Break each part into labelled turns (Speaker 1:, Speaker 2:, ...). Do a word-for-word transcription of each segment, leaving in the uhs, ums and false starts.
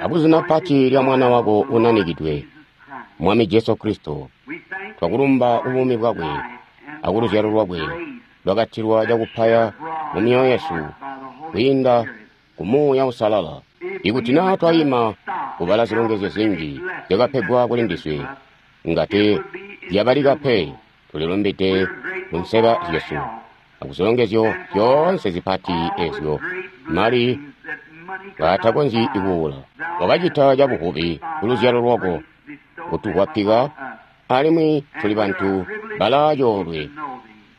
Speaker 1: Akuzina pati lya Mwana wako unanikidwe, Mwami Jesu Kristo, twakulumba ubuumi bwakwe akuluzyalo lwakwe lwakatilwa cakupaya mu myoyo yesu kwiinda ku Muuya Uusalala. Ikuti naa twaima kubala zilongezyo zinji zyakapegwa kuli ndiswe, ngati zyabalika pe, tulilumbide ku nseba zyesu akuzilongezyo zyoonse zipati ezyo mali ngaatakonzyi kuula. Wakacita cabuvubi kuluzyalo lwako kutukwapika, alimwi tuli bantu balaa coolwe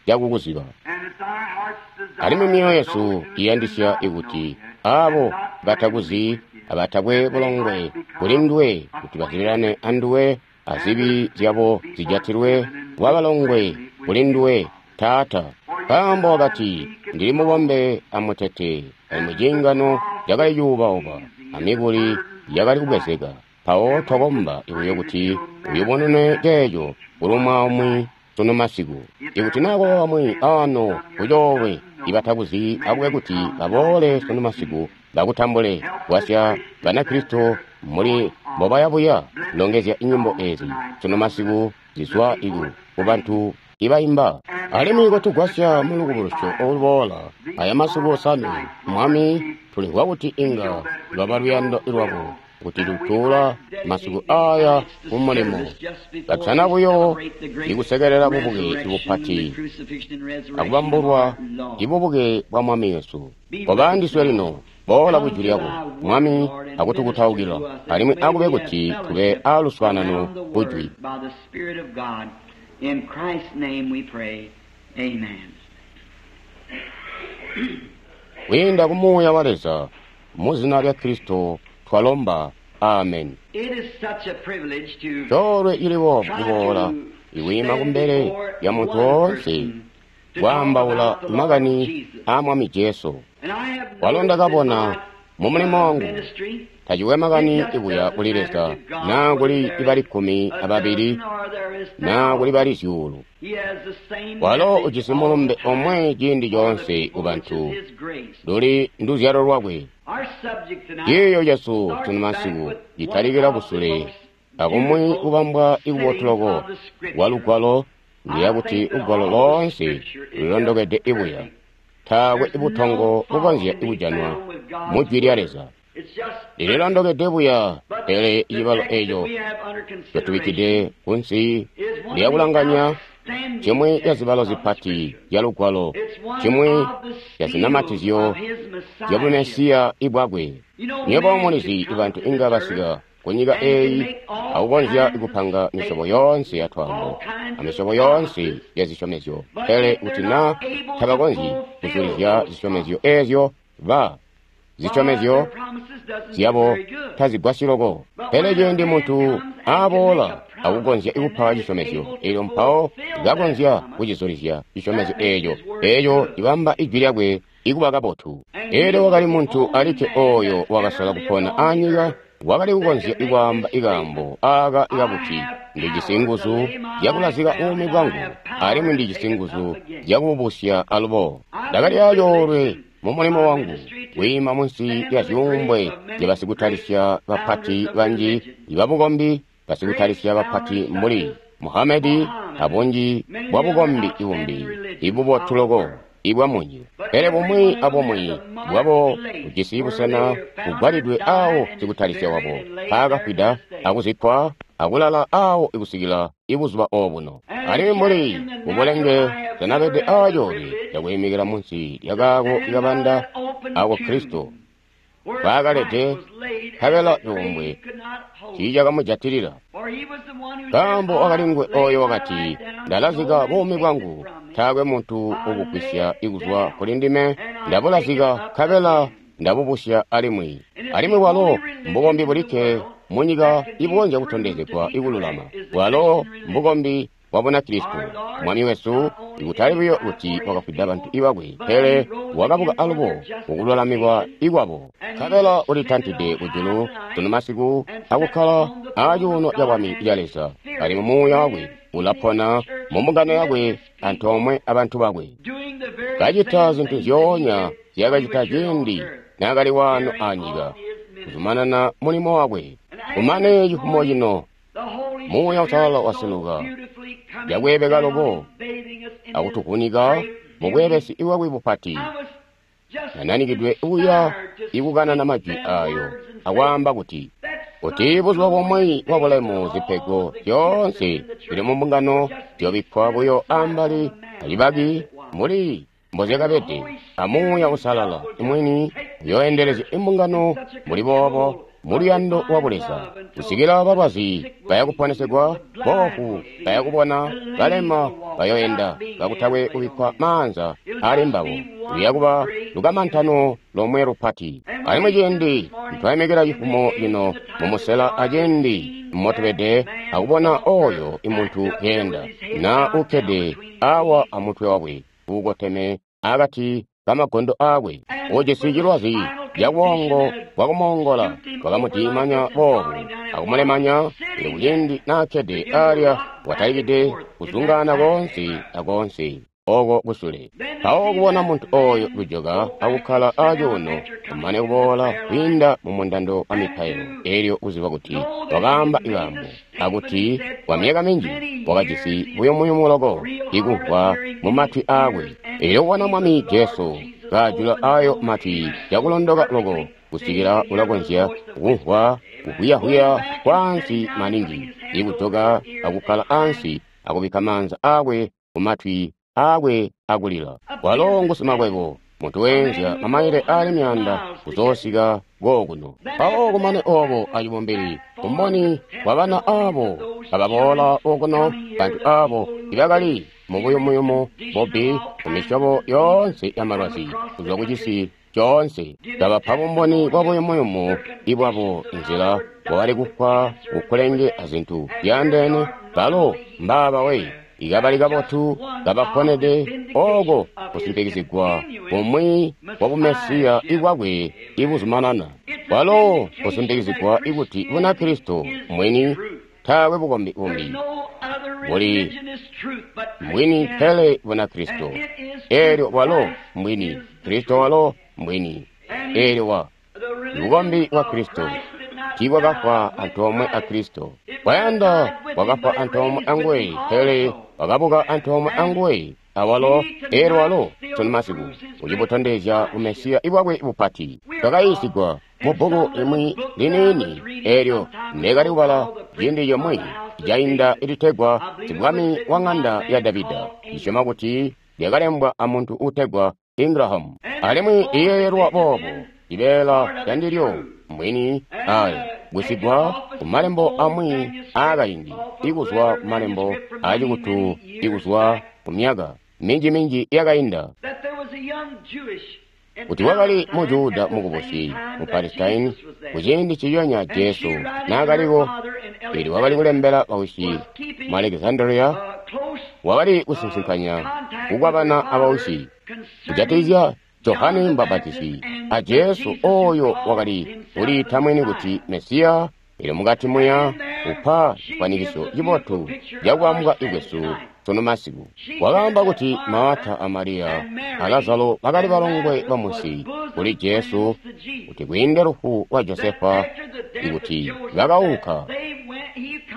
Speaker 1: cakukuziba. Alimwi myoyo yesu iyandisya ikuti aabo batakuzi abatakwe bulongwe kuli nduwe kuti bazibirane anduwe azibi zyabo zijatilwe wabalongwe kuli nduwe Taata. Nkaambo wakati, ndili mubombe amutete, alimwi ciingano cakali cuuba-uba amikuli yakali kubwezeka. Mpawo twakomba buyo kuti uyubunune ceeco kulumwa umwi sunu masiku. Ikuti naa kwaba bamwi aano kucoolwe ibatakuzi akube kuti baboole sunu masiku bakutambule. Gwasya Banakristo muli mbobayabuya longezya nyimbo ezi sunu masiku zizwa iku kubantu ibaimba. Alimwi kotugwasya mulukubulusyo oluboola aya masiku osanwe, Mwami, tulimvwa kuti inga lwaba luyando lwako kuti tutuula masiku aya kumulimo katana buyo ikusekelela bubuke bupati akubambulwa ibubuke bwa Mwami wesu. Koba ndiswe lino, boola kujwi lyako Mwami, akutukutaukila, alimwi akube kuti tube aaluswaanano kujwi.
Speaker 2: In Christ's name we pray. Amen.
Speaker 1: Kwiinda ku Muuya wa Leza, mu zina lya Kristo twalomba. Amen.
Speaker 2: It is such a privilege to
Speaker 1: Coolwe cili boobu kuboola ikwiima kumbele lya muntu woonse kwaambaula makani aa Mwami Jesu. Walo ndakabona mu mulimo wangu, tacikwe makani ibuya kuli Leza naa kuli ibali kkumi ababili naa kuli bali zyuulu. Walo ujisi mulumbe omwe ciindi coonse kubantu, luli nduzyalo lwakwe. Ciiyo cesu sunu masiku citalikila kusule akumwi kubambwa ikubotu loko kwa lugwalo, ndiya kuti lugwalo loonse lulondokede ibuya. Taakwe butongo bukonzya kujanwa mu Jwi lya Leza. Lililondokede buya, pele cibalo eco catubikkide kunsi lyakulanganya cimwi ca zibalo zipati zya lugwalo, cimwi ca zinamatizyo zya bumesiya ibwakwe. Nywebo mulizi bantu inga basika kunyika eyi akukonzya kupanga misyobo yoonse ya twaambo amisyobo yoonse ya zisyomezyo, pele kuti naa tabakonzyi kuzulizya zisyomezyo ezyo, ba zisyomezyo zyabo tazigwasyi loko. Pele ciindi muntu aboola akukonzya kupa cisyomezyo elyo mpawo kakonzya kucizulizya cisyomezyo eeco, eeco cibamba ijwi lyakwe ikuba kabotu. Elyo wakali muntu alikke ooyo wakasola kupona anyika wakali kukonzya ikwaamba ikaambo aaka ikakuti, ndijisi nguzu zyakulazika buumi bwangu alimwi ndijisi nguzu zyakububusya alubo. Ndakali acoolwe mu mulimo wangu kwiima munsi lya zyuumbwe zya basikutalisya bapati banji ibabukombi, basikutalisya bapati mbuli Muhamedi abunji bwa bukombi ibumbi ibubotu loko ibwamunyi. Pele bumwi abumwi bwabo bujisi busena bugwalidwe awo sikutalisya wabo mpaakafwida akuzikkwa akulala awo ikusikila ibuzuba obuno. Alimwi mbuli mubulenge tanabede aacoolwe cakwiimikila munsi lyakaako ikabanda ako Kristo mpaakalede, nkabela cuumbwe tiicakamujatilila. Nkaambo wakali nguwe ooyo wakati, ndalazika buumi bwangu, taakwe muntu ubugwisya ikuzwa kuli ndime, ndabulazika nkabela ndabubusya alimwi. Alimwi bwalo mbukombi bulikke munyika ibukonzya kutondezegwa ikululama. Bwalo mbukombi bwa Bunakristo. Mwami wesu ikutali buyo kuti wakafwida bantu ibakwe, pele wakabuka alubo mukululamikwa ikwabo. Nkabela ulitantide kujulu sunu masiku akukkala acuuno ca bwami ca Leza, alimwi Muuya wakwe ulapona mu mbungano yakwe antoomwe abantu bakwe, kacita zintu zyoonya nzyakacita ciindi naakali waano anyika, kuzumanana mulimo wakwe. Kumane cifumo cino Muuya Uusalala waseluka cakweebeka loko akutuvunika mu bweebesi bwakwe bupati. Nananikidwe uya ikukanana majwi ayo akwaamba kuti kuti buzuba bumwi bwa bulemu zipego zyoonse zili mu mbungano ziyoobikkwa buyo ambali acibaki mbuli mbozyakabede, a Muuya Uusalala mwini uyooendelezya imbungano mbuli boobo muluyando lwa Buleza, kusikila balwazi baya kuponesegwa, boofu baya kubona, balema bayoenda kakutakwe kubikkwa maanza ali mbabo. Luya kuba lukamantano lomwe lupati. Alimwi ciindi ntwayimikila cifumo cino mumusela aciindi motubede akubona oyo imuntu keenda na ukkede awa amutwe wakwe uukoteme akati kamagondo akwe, ujisi cilwazi cabwongo bwakumoongola bwakamudimanya boobu akumulemanya. Elyo kuciindi naakkede alya watalikide kuzungaana koonse akoonse oko kusule. Mpawo kubona muntu oyo kujoka akukkala acuuno kumane kuboola kwiinda mu mundando wa mipailo, elyo kuziba kuti wakaamba ikaambo akuti kwa myaka minji wakajisi buyumuyumu loko ikumvwa mu matwi aakwe. Elyo kubona Mwami Jesu kaajula ayo matwi cakulondoka loko kusikila ulakonzya kumvwa kuhwiyahuya kwaansi maningi, ikujoka akukkala ansi akubikka maanza aakwe ku matwi aakwe akulila. Walo ngusimakwebo, muntu weenzya mamaile aali myaanda kuzoosika kookuno. Mpawo kumane obo acibumbili, umboni wa bana abo ababoola okuno, bantu abo ibakali mu buyumuyumu bubbi mu misyobo yoonse ya malwazi kuzwa ku cisi coonse, kabapa bumboni bwa buyumuyumu ibwabo, inzila bwakali kufwa kukulenge azintu zyaandeene. Balo mbaaba we ikabali kabotu kabaponede oko kusimpikizigwa kumwi kwa bumesiya ibwakwe ibuzumanana. Walo kusimpikizigwa ikuti Bunakristo mwini taakwe bukombi bumbi buli mbwini pele Bunakristo. Eelyo walo mbwini, Kristo walo mbwini. Eelyo wa bukombi bwa Kristo tiibwakafwa antoomwe a Kristo. Kwayanda bwakafwa antoomwe anguwe, pele wakabuka antoomwe anguwe awalo. Eelyo walo sunu masiku ucibutondezya bumesiya ibwakwe bupati. Twakayiisigwa mu bbuku limwi liniini eelyo neekali kubala ciindi comwe cainda ilitegwa Sibwami wa Ng'anda ya Davida. Ndisyoma kuti lyakalembwa amuntu uutegwa Ingraham, alimwi liyeeyelwa boobo cibeela candilyo mwini aaya gusigwa ku malembo amwi aakaindi, ikuzwa ku malembo aacikutu, ikuzwa ku myaka minji-minji yakainda, kuti wakali mu Juda mukubusi mu Palestine kuciindi ciyonya Jesu naakaliko. Eelyo wakali kulembela bausyi mu Alexandria, wakali kusinsinkanya kukwabana abausyi kujatikizya Johane Mbapatisi a Jesu oyo wakali kuliita mwini kuti Mesiya. Eelyo mukati muya upa cifwanikiso cibotu cakwaambwa ikwesu sunu masiku. Wakaamba kuti Marta a Mariya a Lazaro bakali balongwe bamusi kuli Jesu, kuti kwiinde lufu lwa Josefa ikuti bakaunka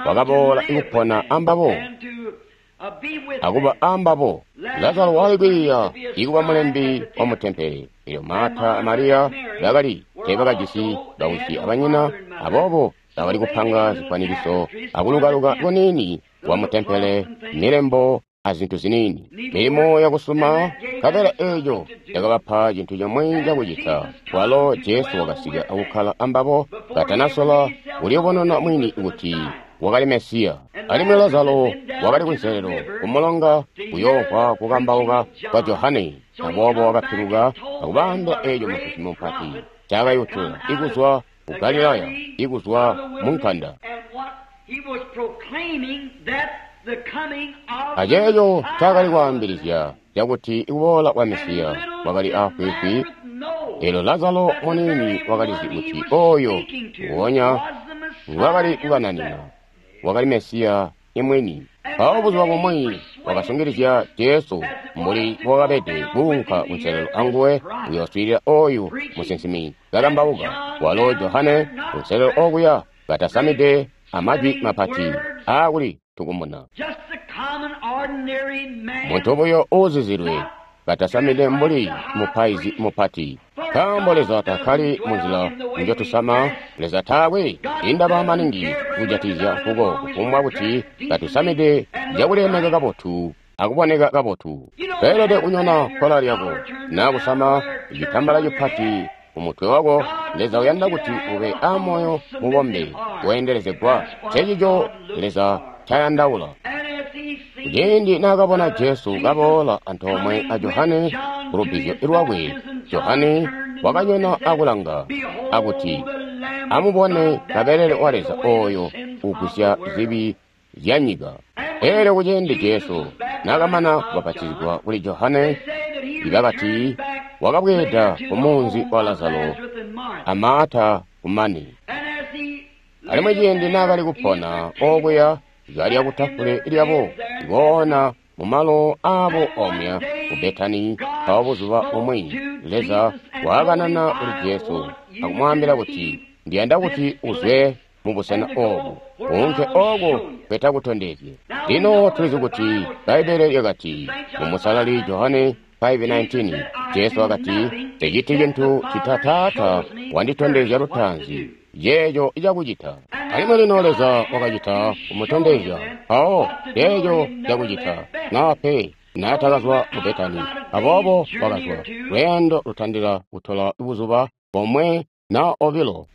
Speaker 1: wakaboola ikupona ambabo akuba ambabo. Lazaro wakali kwiiya ikuba mulembi wa mutempele. Eelyo Marta a Mariya bakali teebakajisi bausyi abanyina, aboobo bakali kupanga zifwanikiso akulukaluka kuniini wa mutempele, milembo azintu ziniini, milimo yakusuma. Nkabela eeco yakabapa cintu comwe cakucita. Walo Jesu wakasika akukkala ambabo katanasola kulibonona mwini kuti wakali Mesiya. Alimwi Lazaro wakali kunselelo kumulonga kuyoomvwa kukambauka kwa Johane, aboobo wakapiluka akubaambila eeco musinsimi mupati ncaakayutula ikuzwa ku Galilaya, ikuzwa mu nkanda. Aceeco ncaakali kwaambilizya cakuti ikuboola kwa Mesiya kwakali aafwiifwi. Eelyo Lazaro muniini wakalizi kuti oyo nguonya ngwakali kukananina wakali Mesiya imwini. Mpawo buzuba bumwi wakasungilizya Jesu mbuli bwakabede kuunka kunselelo anguwe kuyooswiilila oyu musinsimi kakambauka. Walo Johane kunselelo okuya katasamide amajwi mapati aakuli tukumuna. Muntu buyo uuzizilwe katasamide mbuli mupaizi mupati. Nkaambo Leza takkali munzila njotusama, Leza taakwe indaba maningi kujatikizya nkuko kufumbwa kuti katusamide cakulemeka kabotu akuboneka kabotu. Toelede kunyona kkola lyako naa kusama citambala cipati kumutwe wako. Leza uyanda kuti ube amoyo mubombe weendelezegwa. Ncencico Leza ncayandaula. Ciindi naakabona Jesu kaboola antoomwe a Johane kulubbizyo lwakwe, Johane wakanyona akulanga akuti, "Amubone Kabelele wa Leza ooyo ugwisya zibi zyanyika." Eelyo kuciindi Jesu naakamana kubapatizigwa kuli Johane, bakati wakabweeda kumunzi wa Lazaro a Maata kumane. Alimwi ciindi naakali kupona okuya kalya kutafule lyabo, koona mumalo aabo omya ku Betani, mpawo buzuba bumwi Leza waakanana kuli Jesu akumwaambila kuti, "Ndiyanda kuti uzwe mubusena oobu, uunke ooko nkwetakutondezye." Lino tulizi kuti Bbaibbele lyakati mu Musalali Johane five nineteen, Jesu wakati, "Nseciti cintu cita Taata wanditondezya lutaanzi ceeco cakucita." Alimwi lino Leza wakacita kumutondezya mpawo ceeco cakucita, naa pe naatakazwa mu Betani. Aboobo wakazwa lweendo lutandila kutola buzuba bomwe naa obilo.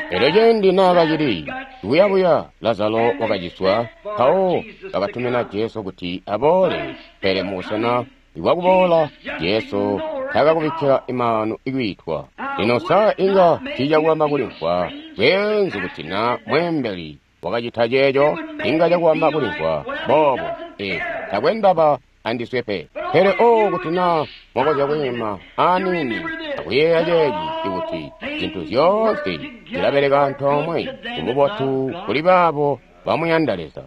Speaker 1: Elyo ciindi naakacili kuyabuya, Lazaro wakaciswa, mpawo bakatumina Jesu kuti aboole. Pele mubusena bwakuboola, Jesu taakakubikkila maanu kwiitwa. Lino sa inga tiicakuwamba kulimvwa bweenzu kuti na mweembeli wakacita ceeco? Inga cakuwamba kulimvwa boobo, ee, takwe ndaba andiswe pe. Pele oo kuti na mwakonzya kwiima aniini akuyeeya ceeci, ikuti zintu zyoonse zilabeleka antoomwe kububotu kuli baabo bamuyanda Leza.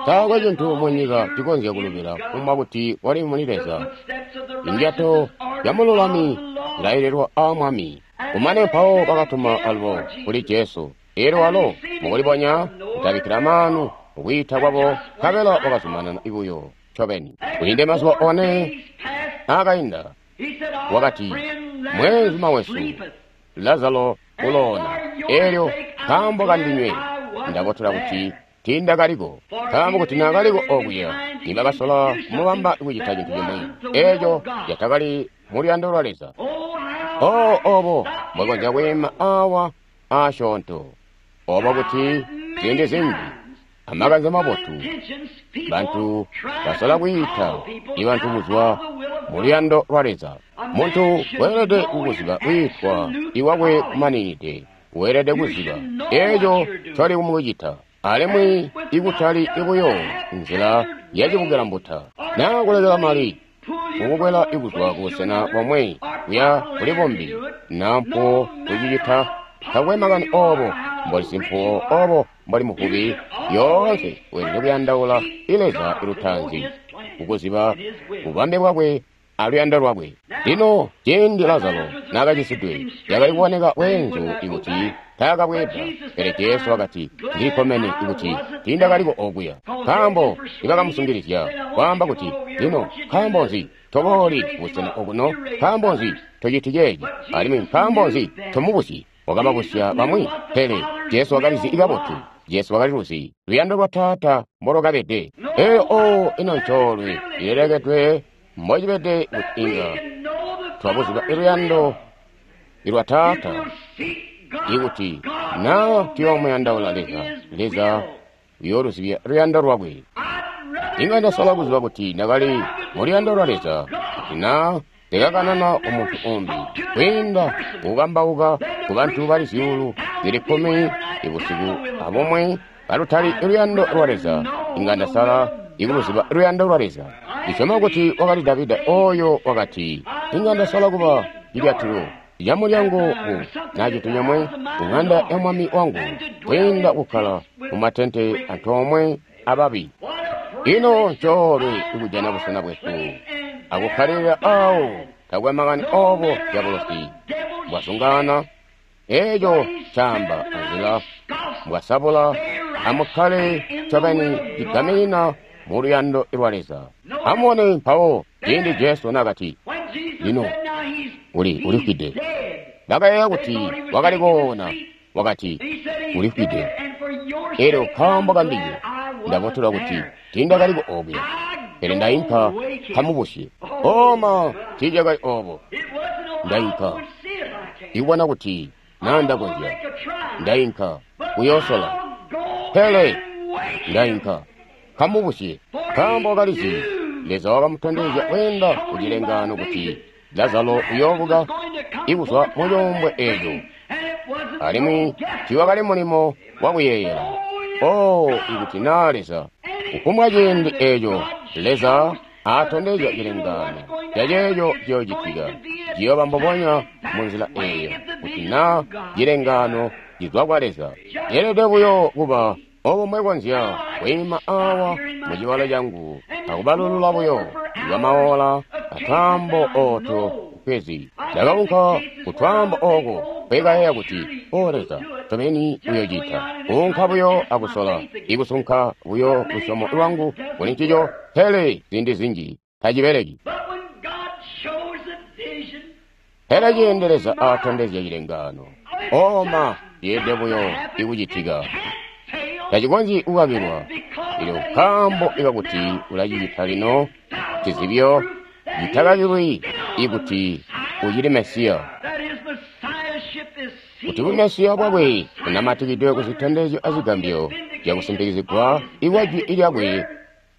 Speaker 1: Taakwe cintu munyika cikonzya kulubila kufumbwa kuti wali muli Leza. Indyato yamululami zilaililwa aa Mwami. Kumane mpawo bakatuma alubo kuli Jesu. Eelyo walo mukulibonya kutabikkila maanu kukwiita kwabo, nkabela wakazumanana buyo ncobeni. Kwiinde mazuba one aakainda, wakati, "Mweenzuma wesu Lazaro uloona, eelyo nkaambo kandinywe ndabotola kuti tiindakaliko. Nkaambo kuti naakaliko okuya, nibakasola kumubamba kucita cintu cimwi eeco catakali muluyando lwa Leza." Oo, obo mbwekonzya kwiima awa aasyoonto, obo kuti ziindi zinji amakanze mabotu bantu basola kwiita ibantu kuzwa muluyando lwa Leza. Muntu weelede kukuziba kwiitwa iwakwe kumaninide, weelede kuziba eeco ncoli kumucita, alimwi ikutali buyo nzila yacibukilambuta naa kulekela mali kukukwela ikuzwa kubusena bomwe kuya kuli bumbi, naa mpuwo kucicita. Takwe makani oobo mboli simpuwo, oobo mboli muvubi, yoonse weelede kuyandaula Leza lutaanzi kukuziba bubambe bwakwe aluyando lwakwe. Lino ciindi Lazaro naakacisidwe, yakali kuboneka bweenzu ikuti taakabweeda. Pele Jesu wakati, "Ndilikkomene ikuti tiindakaliko okuya." Nkaambo nibakamusungilizya kwaamba kuti, "Lino nkaambo nzi tobooli kubusena okuno? Nkaambo nzi tociti ceeci? Alimwi nkaambo nzi tomubusyi?" Wakababusya bamwi, pele Jesu wakalizi kabotu. Jesu wakaliluzi luyando lwa Taata mbolwakabede. Eyo oo, ino ncoolwe ilelekedwe mbocibede kuti inga twabuziba luyando lwa Taata, ikuti naa tuyoomuyandaula Leza, Leza uyooluzibya luyando lwakwe. Inga ndasola kuziba kuti ndakali muluyando lwa Leza, kuti naa ndikakanana kumuntu umbi kwiinda kukambauka kubantu bali zyuulu zili kkumi ibusiku abumwe kalutali luyando lwa Leza, inga ndasala ikuluziba luyando lwa Leza. Ndisyoma kuti wakali Davida oyo wakati, "Inga ndasola kuba cilyatilo camulyango ku naa cintu cimwi ku ŋanda ya mwami wangu, kwiinda kukkala mumatente antoomwe ababi. Ino ncoolwe ikujana busena bwesu akukkalilila awo, takwe makani obo dyabulosi bwasungana, eco caamba anzila mbwasabula. Amukkale ncobeni cigaminina mu luyando lwa Leza. Amubone mpawo ciindi Jesu nakati, lino uli ulifwide. Bakayeeya kuti wakali koona, wakati ulifwide. Elyo nkaambo kandinywe ndabotolwa kuti tiindakaliko okuya, pele ndainka nkamubusye. Oma tiicakali obo. Ndainka ikubona kuti naa ndakonzya, ndainka kuyoosola, pele ndainka nkamubusye. Nkaambo wakalizi Leza wakamutondezya kweenda ku cilengaano kuti Lazaro uyoobuka ikuzwa mu cuumbwe eeco, alimwi tiiwakali mulimo wakuyeeyela. Oh, ikuti naa Leza kufumbwa ciindi eeco Leza aatondezya cilengaano caceeco ciyoocitika, ciyooba mbubonya munzila eeyo kuti naa cilengaano cizwa kwa Leza. Ceelede buyo kuba obo mbwekonzya kwiima awa mu cibalo cangu akubalulula buyo ibamaola atwaambo ooto kwezi. Ndakaunka kutwaambo ooko kwekayeeya kuti, o Leza, ncobeni uyocita. Kuunka buyo akusola, ikusunka buyo lusyomo lwangu kuli ncico, pele ziindi zinji tacibeleki. Pele ciindi Leza aatondezya cilengaano, oma yeede buyo ikucitika, tacikonzyi kukakilwa. Elyo nkaambo ikakuti ulacicita lino, cizibyo citakakilwi ikuti ucili Mesiya, kuti bumesiya bwakwe bunamatikidwe ku zitondezyo azigambyo zyakusimpikizigwa ikwa jwi lyakwe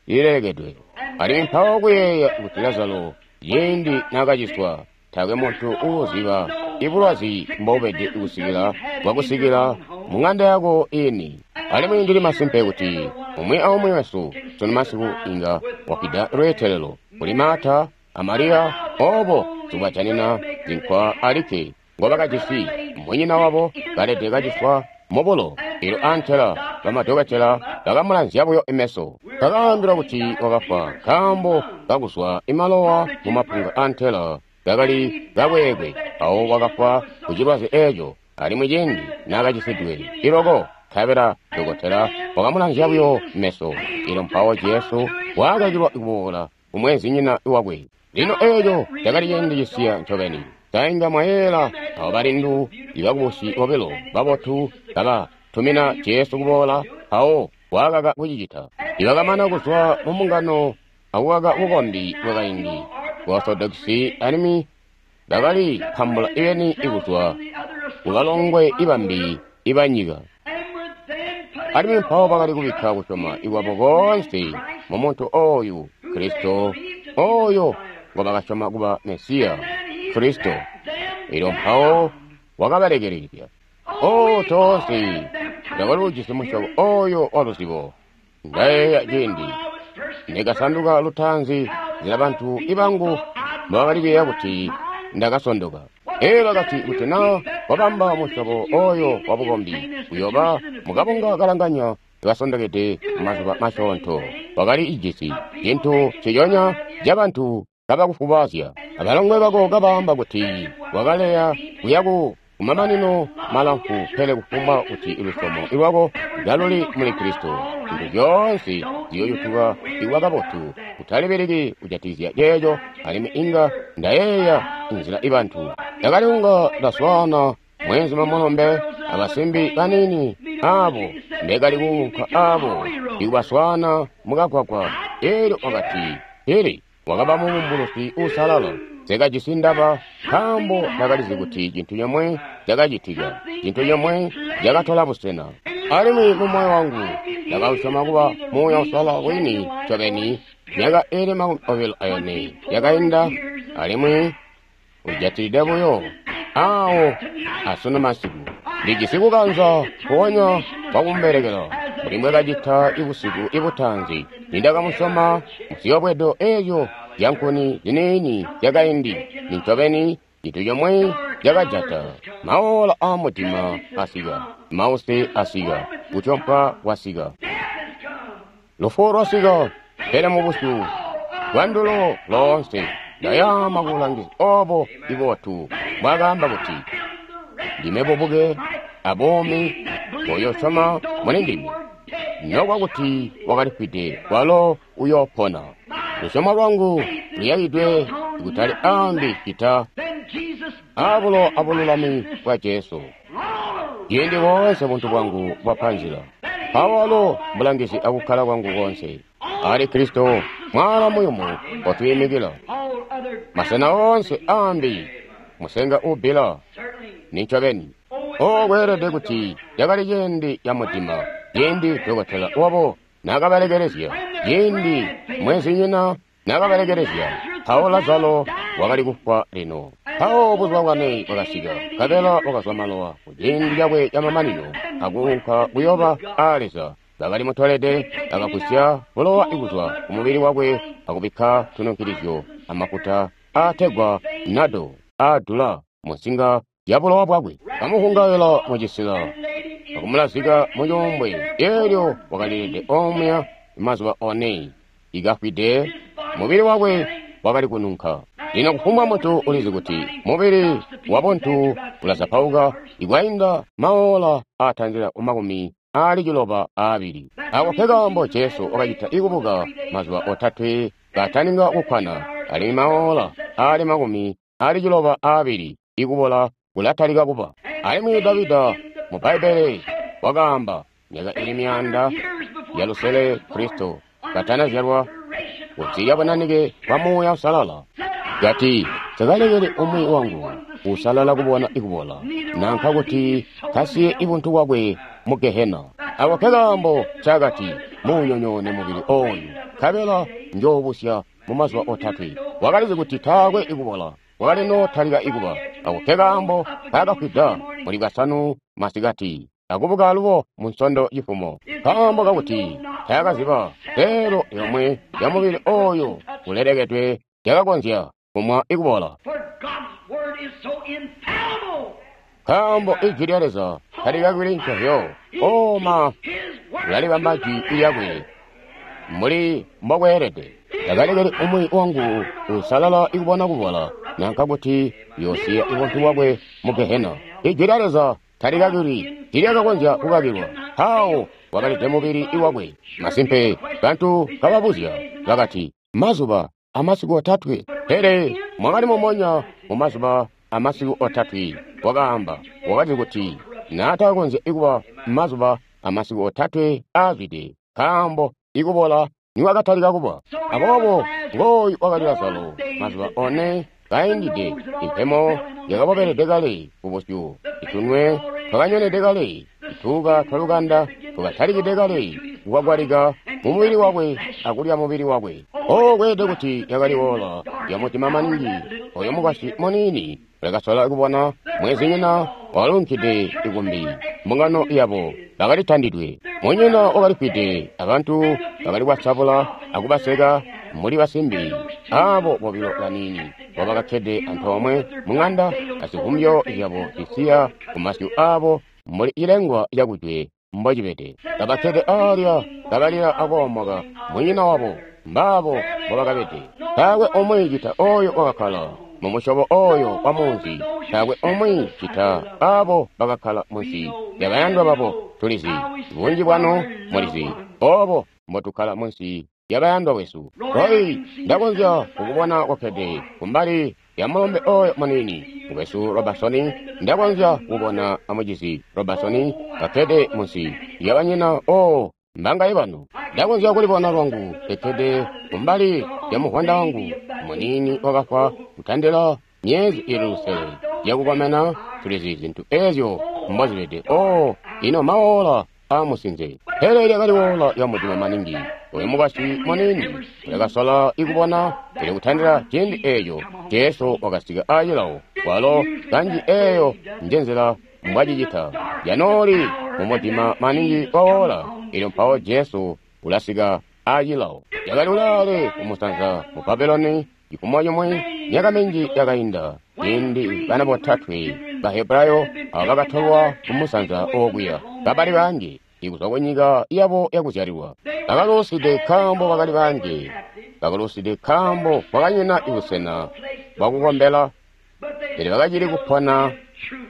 Speaker 1: lilelekedwe. Alimwi mpawo kuyeeya kuti Lazaro ciindi naakaciswa, taakwe muntu uuziba ibulwazi mbobubede kusikila bwakusikila mu ŋanda yako ini. Alimwi ndili masimpe kuti umwi aumwi wesu sunu masiku inga wafwida lweetelelo kuli Marta a Mariya, obo tubajanina zinkwa alikke ngobakajisi, munyina wabo kalede kaciswa mubulo. Elyo antela bamadokotela bakamulanzya buyo imeso, bakaambilwa kuti wakafwa nkaambo kakuzwa imalowa mumapunga antela kakali kakweekwe. Awo wakafwa kucilwazi eeco, alimwi ciindi naakacisidwe iloko, nkabela dokotela wakamulanzya buyo meso. Elyo mpawo Jesu waakakilwa kuboola kumweenzinyina wakwe. Lino eeco cakali ciindi cisiya ncobeni. Sainga mwayeeyela abo balindu ibakubusi bobilo babotu kabatumina Jesu kuboola, mpawo waakaka kucicita. Ibakamana kuzwa mu mbungano akukaka bukombi bwakaindi bwa Orthodoxi, alimwi bakali pambula ibeni ikuzwa kubalongwe ibambi ibanyika. Alimwi mpawo bakali kubikka kusyoma ikwabo koonse mu muntu oyu Kristo, oyo ngobakasyoma kuba Mesiya Kristo. Elyo mpawo wakabalekelezya. O toonse ndakali ujisi musyobo oyo wa luzibo. Ndayeeya ciindi ndikasanduka lutaanzi nzila bantu ibangu mbobakali kuyeeya kuti ndakasondoka. Elyo bakati kuti naa wabamba musyobo oyo wa bukombi uyoba mukabunga kalanganya kasondokede mazuba masyoonto. Wakali ijisi cintu nciconya cabantu kabakufubazya, abalongwe bako kabaamba kuti wakaleya kuya ku kumamanino malamfu, pele kufumbwa kuti lusyomo lwako kaluli muli Kristo, zintu zyoonse ziyoyutuka ikuba kabotu. Utalibeleki kujatikizya ceeco. Alimwi inga ndayeeya nzila ibantu ndakali kunga ndaswaana mweenzuma mulombe abasimbi baniini abo mbekali kuunka abo ikubaswaana mukagwagwa. Elyo wakati, pele wakaba mubumbulusi uusalala. Nsekajisi ndaba, nkaambo ndakalizi kuti cintu comwe cakacitika, cintu comwe cakatola busena. Alimwi mu moyo wangu ndakausyoma kuba Muuya Uusalala wini ncobeni. Myaka iili makumi obilo ayone yakainda, alimwi ujatilide buyo awo asunu masiku. Ndijisi kukanza kuonya kwakumubelekela mbuli mbwekacita ibusiku ibutaanzi nindakamusyoma muziyobwedo eezyo zyankuni ziniini zyakaindi. Nincobeni cintu comwe cakajata. Maola aamudima asika, mause asika, kutyompwa kwasika. Lufu lwasika, pele mu busyu bwandulo loonse ndayaama kubulangizi obo ibotu bwakaamba kuti, Ndime bubuke abuumi, uyosyoma muli ndime, nokuba kuti wakalifwide, walo uyoopona. Lusyomo lwangu luyakidwe kutali ambi cita abulo abululami bwa Jesu. Ciindi boonse buntu bwangu bwapa nzila, mpawo walo mbulangizi akukkala kwangu konse. Ali Kristo mwaala muyumu watwiimikila. Masena oonse ambi musenga uubbila nincobeni. O kweelede kuti cakali ciindi ca mudima, ciindi dokotela wabo naakabalekelezya, ciindi mwenzinyina naakabalekelezya, mpawo Lazaro wakali kufwa lino. Mpawo buzuba bwane bwakasika, nkabela wakazwa malowa kuciindi cakwe camamanino akuunka kuyoba aa Leza. Bakali mutolede, bakagusya bulowa kuzwa kumubili wakwe akubikka tununkilizyo amafuta aategwa nado aadula munsinga ya bulowa bwakwe. Bamuhungaila mucisila akumulazika mucuumbwe, eelyo wakalilede omuya mazuba one. Ikafwide, mubili wakwe wakali kununka. Lino kufumbwa muntu ulizi kuti mubili wabuntu ulazapauka ikwainda maola aatandila kumakumi aali ciloba aabili. Ako nkekaambo Jesu wakacita ikubuka mazuba otatwe kataninga kukkwana, alimwi maola aali makumi aali ciloba aabili ikubola kulatalika kuba. Alimwi Davida mu Bbaibbele wakaamba myaka ili myaanda ya lusele Kristo katanazyalwa kunsi lya bunanike bwa Muuya Uusalala, kati, Nsikalekeli umwi wangu usalala kubona ikubola, nanka kuti kasiye ibuntu bwakwe mu Gehena. Ako nkekaambo ncaakati, muunyonyoone mubili ooyu, nkabela njoobusya mu mazuba otatwe. Wakalizi kuti taakwe ikubola, wakali nootalika ikuba. Ako nkekaambo kaakafwida muli Bwasanu masikati, akubuka alubo mu Nsondo cifumo, nkaambo kakuti taakaziba seelo yomwe ya mubili ooyo ulelekedwe yakakonzya kumwa ikubola. Nkaambo ijwi lya Leza talikakili ncovyo, oma ulalibamba jwi lyakwe mbuli mbokweelede. Takalekeli umwi wangu usalala ikubona kubola, nanka kuti yoosiya ibuntu bwakwe mu Gehena. Ijwi lya Leza talikakili, tilyakakonzya kukakilwa. Mpawo wakalide mubili iwakwe. Masimpe, bantu kababuzya bakati, mazuba amasiku otatwe. Pele mwakali mumonya mumazuba amasiku otatwe. Wakaamba, wakati kuti naatakonzya ikuba mazuba amasiku otatwe aazwide, nkaambo ikubola niwakatalika kuba. Aboobo ngooyu wakali Lazaro mazuba one kaindide, impemo yakabobelede kale kubusyu, itunwe twakanyonede kale, ituuka twalukanda twakatalikide kale kukwagwalika mumubili wakwe akulya mubili wakwe. O kweelede kuti yakali ola yamutima maningi. Oyo mukwasyi muniini ulakasola kubona mwezinyina walunkide ikumbi. Mbungano yabo bakalitandidwe, munyina wakalifwide, abantu bakali kwasabula akubaseka mbuli basimbi abo bobilo baniini bobakakkede antoomwe mung'anda azivumbyo zyabo zisiya kumasyu abo mbuli cilengwa cakujwe mbocibede. Kabakkede aalya kabalila akoomoka munyina wabo, mbaabo mbobakabede. Taakwe umwi cita oyo wakakkala mumusyobo oyo wa munzi, taakwe umwi cita abo bakakkala munsi lyabayandwa babo. Tulizi bunji bwanu mulizi obo mbotukkala munsi lyabayandwa wesu. Roy, ndakonzya kukubona kokkede kumbali ya mulombe oyo muniini mukwesu Robertson. Ndakonzya kukubona amucizi Robertson kakkede munsi lyabanyina. O mbangaye banu. Ndakonzya kulibona lwangu kekkede kumbali lya muvwanda wangu muniini wakafwa kutandila myezi ili lusele yakukomena. Tulizi zintu ezyo mbozibede. O ino maola aamusinze. Pele lyakali ola lya mudima maningi. Oyo mukwasyi muniini ulakasola ikubona, pele kutandila ciindi eeco Jesu wakasika aacilawo. Walo kanji eeyo njenzila mbwacicita. Yanooli mumudima maningi waola, elyo mpawo Jesu ulasika aacilawo. Yakali ulaale kumusanza mu Babuloni cifumo cimwi myaka minji yakainda, ciindi bana botatwe Bahebrayo abo bakatolwa kumusanza okuya kabali bangi. Ikuzwa kunyika yabo yakuzyalilwa. Bakaluuside nkaambo bakali banji. Bakaluuside nkaambo kwakanyina busena bwakukombela, pele bakacili kupona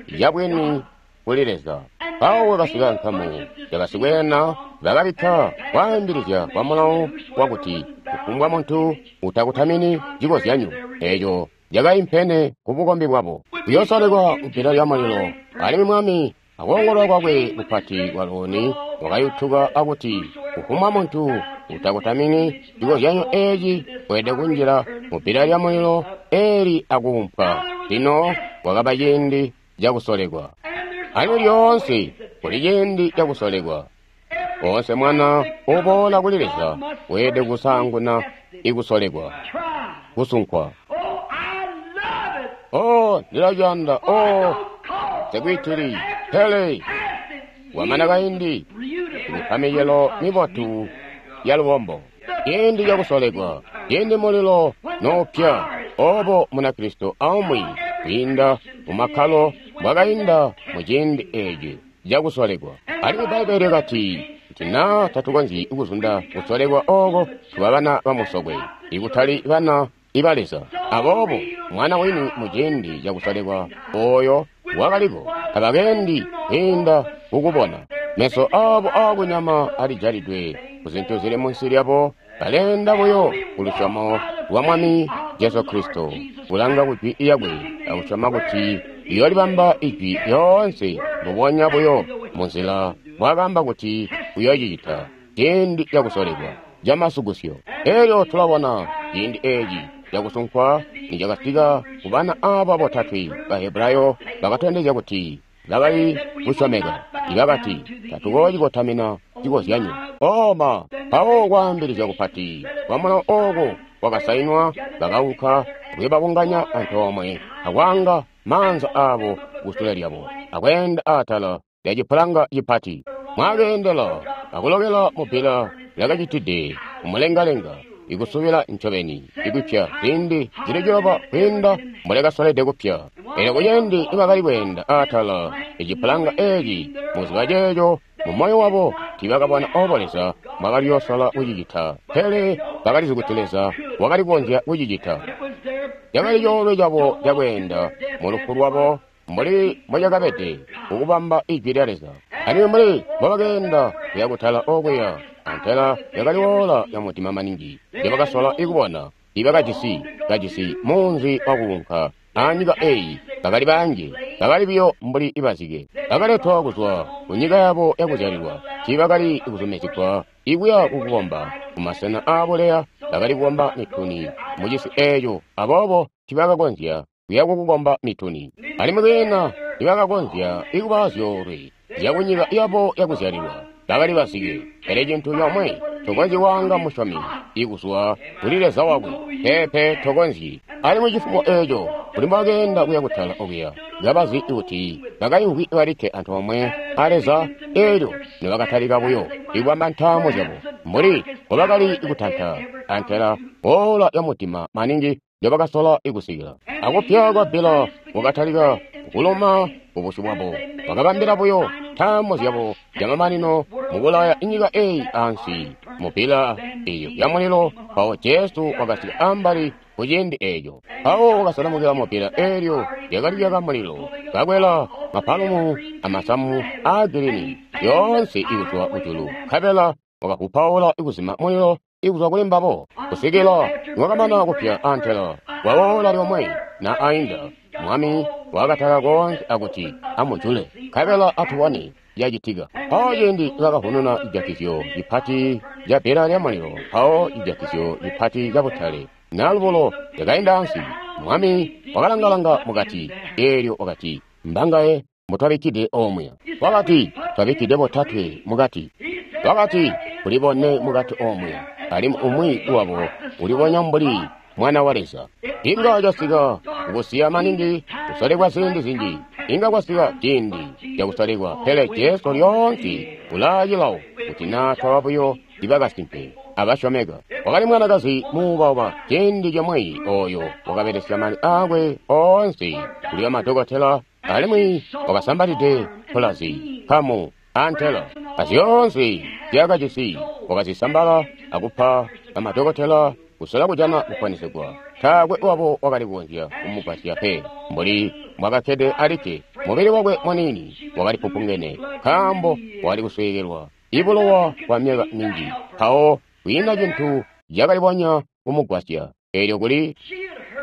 Speaker 1: yabwini kuli Leza. Mpawo kwakasika nkamu yabasikweena bakabikka kwaambilizya kwa mulawo wakuti kufumbwa muntu utakutamini cikozyanyo eeco cakaimpene kubukombi bwabo kuyoosolekwa kubbila lya mulilo. Alimwi mwami akoongolola kwakwe kupati kwalooni wakayutuka akuti kufumbwa muntu utakutamini cikozyanyo eeci weelede kunjila mubbila lya mulilo eeli akuumpwa. Lino kwakaba ciindi cakusolekwa. Alimwi lyoonse kuli ciindi cakusolekwa. Oonse mwana uboola kuli Leza weelede kusaanguna ikusolekwa, kusunkwa. Oh, ndilaciyanda. Oh, nsekwitili, pele kwamana kaindi ikupa micelo mibotu ya lubombo. Ciindi cakusolekwa, ciindi mulilo noupya, obo Munakristo aumwi kwiinda mumakkalo mbwakainda muciindi eeci cakusolekwa. Alimwi Bbaibbele lyakati, kuti naa tatukonzyi kuzunda kusolekwa ooko, tuba bana bamusokwe, ikutali bana iba Leza. Aboobo mwana wini muciindi cakusolekwa ooyo wakaliko tabakendi kwiinda kukubona. Meso aabo aakunyama alijalidwe kuzintu zili munsi lyabo, baleenda buyo kulusyomo lwa Mwami Jesu Kristo, kulanga kujwi lyakwe akusyoma kuti iyoolibamba ijwi lyoonse mbubonya buyo munzila mbwaakaamba kuti uyoocicita ciindi cakusolekwa camasukusyo. Elyo tulabona ciindi eeci cakusunkwa nicakasika kubana aaba botatwe Bahebrayo bakatondezya kuti bakali kusyomeka. Ibakati, tatukoocikotamina cikozyanyo. Oma mpawo kwaambilizya kupati kwa mulawo ooko kwakasainwa, bakaunka akuyobabunganya antoomwe akwaanga maanza aabo kusule lyabo akweenda atala lya cipulanga cipati. Mwakeendela akulokela mubbila lyakacitide kumulengalenga, ikusubila ncobeni, ikupya ziindi zili ciloba kwiinda mbolyakasolede kupya. Elyo kuciindi nibakali kweenda atala ecipulanga eeci muziba ceeco, mumoyo wabo tiibakabona obo Leza mbwakaliyoosola kucicita, pele bakalizi kuti Leza wakali kukonzya kucicita. Cakali coolwe cabo cakweenda mulufu lwabo mbuli mbocakabede kukubamba ijwi lya Leza. Alimwi mbuli mbobakeenda kuya kutala okuya, antela yakali woola ya mudima maningi njebakasola ikubona. Tiibakajisi kajisi munzi wakuunka anyika eeyi, bakali banji, bakali buyo mbuli ibazike. Bakaletwa kuzwa kunyika yabo yakuzyalilwa, tiibakali kuzumizigwa ikuya kukukomba kumasena aabuleya. Bakali kukomba mituni mucisi eeco, aboobo tiibakakonzya kuya kukukomba mituni. Alimwi kwiina tiibakakonzya ikuba zyoolwe zyakunyika yabo yakuzyalilwa, bakali bazike. Pele cintu comwe tokonzyi kwaanga musyomi ikuzwa kuli Leza wakwe, peepe tokonzyi. Alimwi cifumo eeco kuli mbobakeenda kuya kutala okuya, kabazi kuti bakaimvwi balikke antoomwe a Leza. Eelyo nibakatalika buyo ikubamba ntaamo zyabo mbuli mbobakali kutanta antela woola ya mudima maningi njobakasola ikusikila, akupya kwa bbila kwakatalika kuluma kubusyu bwabo. Bakabambila buyo ntaamo zyabo zyamamanino mukulaya inyika eeyi ansi mubbila eeyo ya mulilo. Mpawo Jesu wakasika ambali kuciindi eeco. Mpawo wakasalamukila mubbila eelyo lyakali lyaka mulilo, kakwela mapalumu amasamu aagirini yoonse ikuzwa kujulu, nkabela wakavupaula ikuzima mulilo ikuzwa kuli mbabo kusikila niwakamana kupya antela kwawoola lyomwe na ainda. Mwami wakatala koonse akuti amujule, nkabela atubone yacitika. Mpawo ciindi bakavununa cijatizyo cipati ca bbila lya mulilo, mpawo cijatizyo cipati ca butale nalubulo lyakainda ansi. Mwami wakalangalanga mukati, eelyo wakati, mbangaye mbotwabikkide omuya? Wakati, twabikkide botatwe mukati. Wakati, kuli bone mukati omuya, alimwi umwi wabo ulibonya mbuli Mwana wa Leza. Inga casika kukusiya maningi kusolekwa ziindi zinji, inga kwasika ciindi cakusolekwa, pele Jesu lyoonse ulaacilawo kuti naa twaba buyo ibakasimpe abasyomeka. Wakali mwanakazi muubauba ciindi comwe ooyo wakabelesya mali aakwe oonse kuli bamadokotela, alimwi wakasambalide mpulazi, nkamu, antela. Azyoonse zyakajisi wakazisambala akupa bamadokotela kusola kujana kuponesegwa. Taakwe wabo wakali kukonzya kumugwasya pe. Mbuli mbwakakkede alikke, mubili wakwe muniini wakali pupungene, nkaambo wakali kusweekelwa ibulowa kwa myaka minji. Mpawo kwiina cintu cakalibonya kumugwasya. Eelyo kuli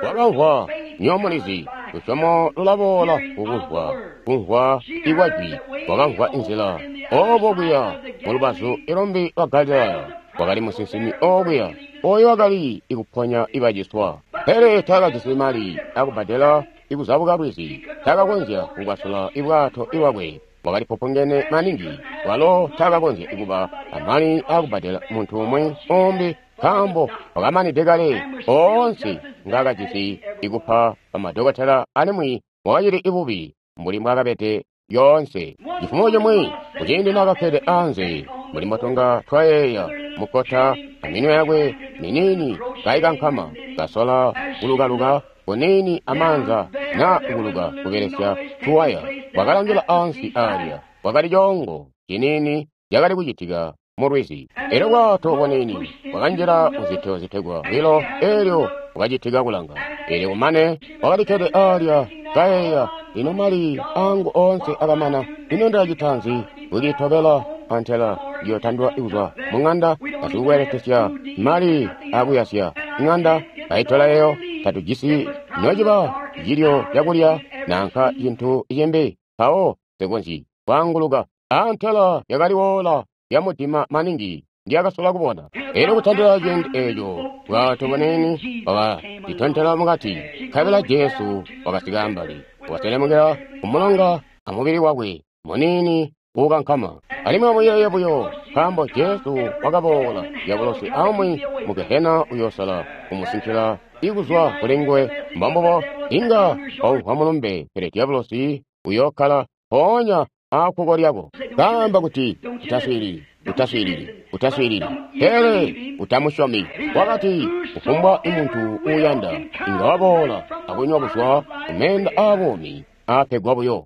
Speaker 1: wakamvwa nyomulizi, lusyomo lulaboola kukumvwa, kumvwa ikwajwi. Wakamvwa inzila obo kuya mulubazu ilumbi lwa Galilaya wakali musinsimi okuya oyo wakali ikuponya ibaciswa, pele taakajisi mali akubbadela ikuzabuka lwizi. Taakakonzya kukwasula ibwato ibwakwe, wakali pupungene maningi. Walo taakakonzya kuba amali akubbadela muntu umwi umbi, nkaambo wakamanide kale oonse ngaakajisi ikupa bamadokotela, alimwi wakacili ibubi mbuli mbwaakabede lyoonse. Cifumo cimwi kuciindi naakakkede anze mbuli mbotunga twayeeya mukkota, aminwe yakwe miniini kaikankama, kasola kulukaluka kuniini amaanza naa kuluka kubelesya tuwaya, wakalangila ansi aalya. Kwakali coongo ciniini cakali kucitika mulwizi. Elyo bwato buniini bwakanjila muzito zitegwa wilo, elyo bwakacitika kulanga. Elyo kumane wakalikkede aalya kayeeya, lino mali angu oonse akamana, ino ndilacita nzi? Kucitobela antela ndiyotandwa kuzwa mung'anda asikukweletesya mali akuyasya ng'anda baitola eyo. Tatujisi nociba cilyo cakulya nanka cintu cimbi, mpawo sikonzyi kwaanguluka. Antela yakali woola yamudima maningi ndyakasola kubona. Elyo kutandila ciindi eeco bwato buniini bwakacitontela mukati, nkabela Jesu wakasika ambali, wakaselemukila kumulonga amubili wakwe muniini uukankama. Alimwi amuyeeye buyo, nkaambo Jesu wakaboola, dyabulosi aumwi mu Gehena uyoosala kumusinkila ikuzwa kuli nguwe. Mbombubo, inga waumvwa mulumbe, pele dyabulosi uyookkala mpoonya aakkuko lyako, kaamba kuti utaswiilili, utaswiilili, utaswiilili, pele utamusyomi. Wakati kufumbwa muntu uuyanda inga waboola akunywa kuzwa kumeenda aabuumi aapegwa buyo.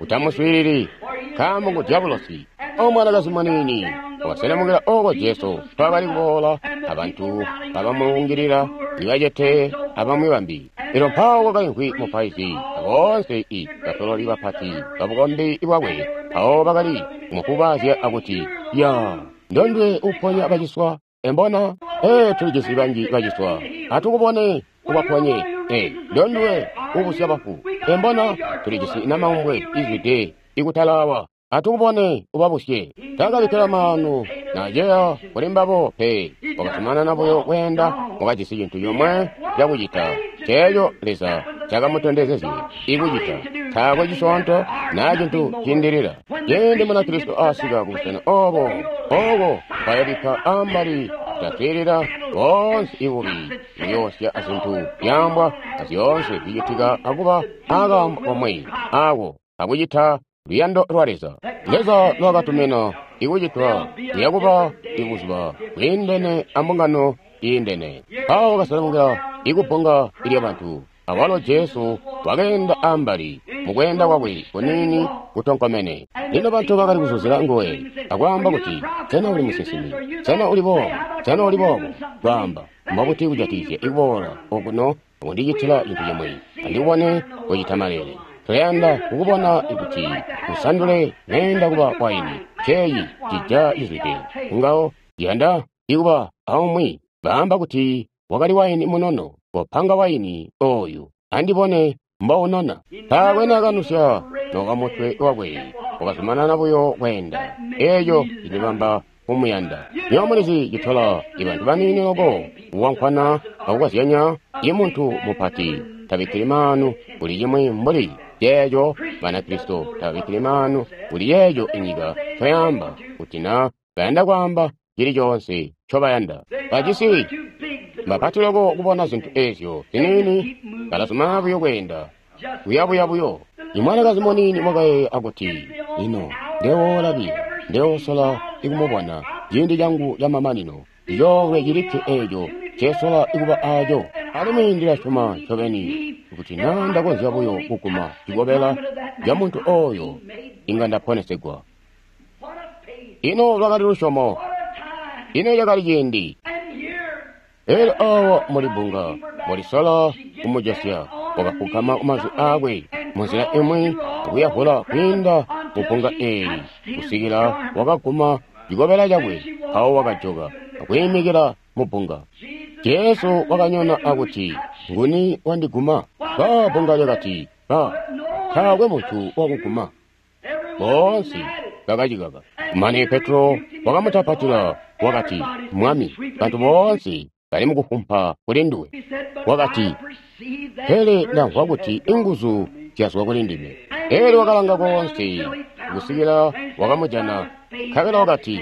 Speaker 1: Utamuswiilili, nkaambo ngu dyabulosi. Omwanakazi muniini wakaselemukila oko Jesu mpaakali kuboola, abantu kabamulungilila, ibacete abamwi bambi. Elyo mpawo kwakaimvwi mupaizi aboonse i basololi bapati babukombi bwakwe, mpawo bakali kumufubaazya akuti, ya ndondwe uponya baciswa, embona? Ee, tulijisi banji baciswa, atukubone ubaponye. Ee, ndondwe ubusya bafu, embona? Tulijisi namaumbwe izwide ikutalawa, atukubone ubabusye. Taakabikkila maanu naceya kuli mbabo pe, wakazumanana buyo kweenda. Wakajisi cintu comwe cakucita, ceeco Leza cakamutondezezye ikucita. Taakwe cisyoonto naa cintu ciindilila. Ciindi Munakristo asika kubusena obo, oko kwayobikka ambali kutaswiilila boonse ibubi buyoosya azintu zyaambwa azyoonse zicitika, akuba akaambo komwe ako akucita luyando lwa Leza. Leza lwakatumina ikucitwa kuyakuba ibuzuba bwiindene ambungano iindene. Mpawo wakaselemukila ikubbunga lyabantu, awalo Jesu wakeenda ambali mukweenda kwakwe kuniini kutonkomene. Lino bantu bakali kuzuzila nguwe akwaamba kuti, sena uli musinsimi? Sena uli boobo? Sena uli boobo? Kwaamba, mbobuti kujatikizya ikuboola okuno akundicitila cintu cimwi, andikubone kucita maleele? Tuyanda kukubona ikuti usandule meenda kuba waini, ceeyi cija cizwide kungawo. Yanda ikuba aumwi baamba kuti wakali waini munono, kopanga waini oyu andibone mbounona. Taakwe naakanusya nokamutwe wakwe, wakazumanana buyo kweenda. Eeco cindibamba kumuyanda. Nywebo mulizi citola ibantu baniini loko kuwankwana akukazyanya. Imuntu mupati tabikkili maanu kuli cimwi mbuli ceeco. Banakristo tababikkili maanu kuli yeeco inyika ncoyaamba, kuti na bayanda kwaamba cili coonse ncobayanda. Bajisi mbapati loko kubona zintu eezyo ziniini, balazumanana buyo kweenda kuyabuya buyo. Imwanakazi muniini wakayeeya akuti, lino ndewoola biyo, ndewoosola ikumubona ciindi cangu camamanino, icoolwe cilikke eeco ncesola ikuba aaco. Alimwi ndilasyoma ncobeni kuti naa ndakonzya buyo kuguma cikobela ca muntu ooyo, inga ndaponesegwa. Ino lwakali lusyomo! Ino cakali ciindi! Elyo awa muli bbunga, mulisola kumujosya, wakafugama kumazwi aakwe munzila imwi akuyavula kwiinda mu bbunga eeli kusikila wakaguma cikobela cakwe, mpawo wakajoka akwiimikila mu bbunga. Jesu wakanyona akuti, "Nguni wandiguma?" Ba bbunga lyakati, "Ba, taakwe muntu wakuguma." Boonse bakacikaka. Kumane Petro wakamutapatila wakati, "Mwami, bantu boonse bali mukufumpa kuli nduwe." Wakati, "Pele ndamvwa kuti inguzu zyazwa kuli ndime." Elyo wakalanga koonse kusikila wakamujana, nkabela wakati,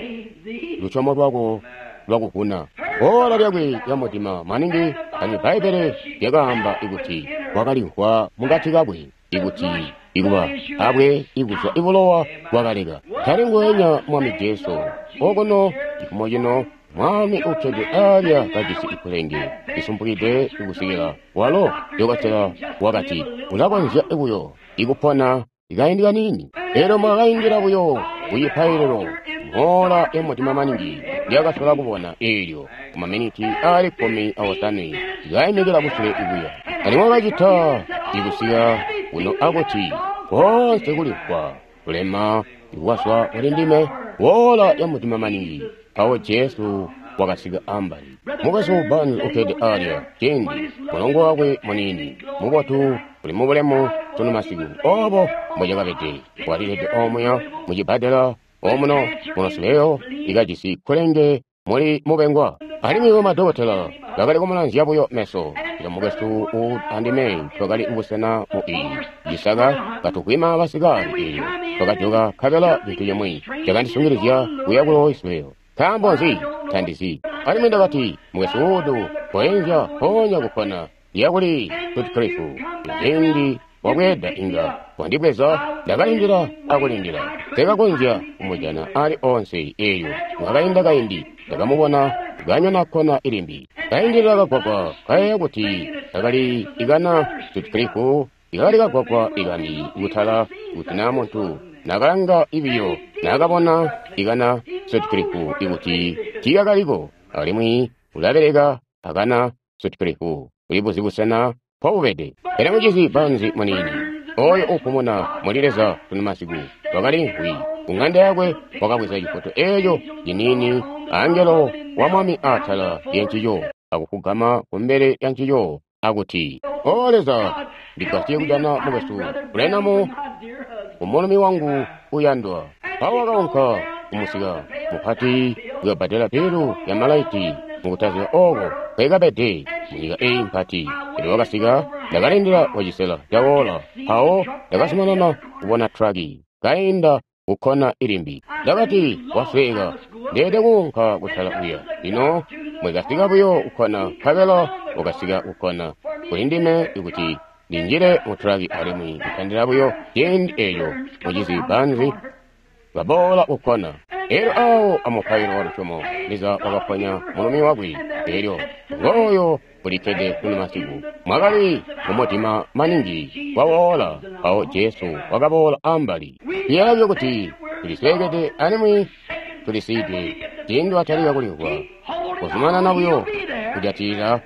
Speaker 1: "Lusyomo lwako lwakuvuna." Oora lyakwe lya mudima maningi, alimwi Bbaibbele lyakaamba ikuti wakalimvwa mukati kakwe ikuti ikuba abwe ikuzwa ibulowa bwakaleka. Tali nguwenya Mwami Jesu okuno cifumo cino, Mwami ukkede alya kajisi ikulenge lisumpukide kusikila walo dokotela wakati ulakonzya buyo ikupona ikaindi kaniini. Elyo mwakaindila buyo kucipaililo moola ya mudima maningi lyakasola kubona eelyo kumaminiti aali kkumi aosanwe likaimikila kusule ikuya. Alimwi wakacita ikusika kuno akuti koonse kulimvwa kulema ikwazwa kuli ndime woola ya mudima maningi. Mpawo Jesu wakasika ambali. Mukwesu Barnes ukkede alya ciindi mulongo wakwe muniini mubotu uli mubulemu sunu masiku obo mbocakabede walilede omuya mucibbadela omuno munosileyo ikajisi kkulenge muli mubengwa. Alimwi bamadokotela bakali kumulanzya buyo meso. Ilo mukwesu andime twakali kubusena mu iyi cisaka katukwima basikali eelyo twakajoka nkabela cintu cimwi cakandisungilizya kuya ku Louisville. Nkaambo nzi? Tandizi. Alimwi ndakati, "Mukwesu Wood, koenzya mpoonya kukkona lyakuli Sutcliffe. Ciindi wabweeda inga wandibweza." Ndakalindila akulindila, tekakonzya kumujana ali onse. Eelyo mwakainda kaindi ndakamubona kanyona kkona ilimbi, kaindilila kagwagwa, kayeeya kuti kakali ikana Sutcliffe ikakali kagwagwa ikambi kutala kuti naa muntu nakalanga ibiyo nakabona ikana Sutcliffe ikuti tiikakaliko, alimwi ulabeleka akana Sutcliffe ulibuzi busena mpobubede. Pele mucizi Barnes muniini oyo upumuna muli Leza sunu masiku wakaliimvwi ku ng'anda yakwe, wakabweza cifoto eeco ciniini angelo wa Mwami atala lyancico akufugama kumbele lya ncico akuti, "O Leza, ndigwasye kujana mukwesu Branham umulumi wangu uyandwa." Mpawo wakaunka kumusika mupati kuyobbadela bilu ya malaiti mukutaziba oko kwekabede munyika eyi mpati. Elyo wakasika, ndakalindila kwacisela cawoola, mpawo ndakazumanana kubona traki kainda kukkona ilimbi. Ndakati, "Wasweeka, ndeede kuunka kutala kuya." Lino mwekasika buyo kukkona, nkabela wakasika kukkona kuli ndime ikuti ndinjile mu traki, alimwi kutandila buyo ciindi eeco mucizi Barnes baboola kukkona. Elyo awo amupailo wa lusyomo Leza wakaponya mulumi wakwe. Elyo ngooyo ulikkede kuno masiku mwakali mumudima maningi wawoola, mpawo Jesu wakaboola ambali. Tuyeeya kuti tulisweekede alimwi tulisiidwe ciindi watalika kulimvwa kuzumanana buyo kujatilila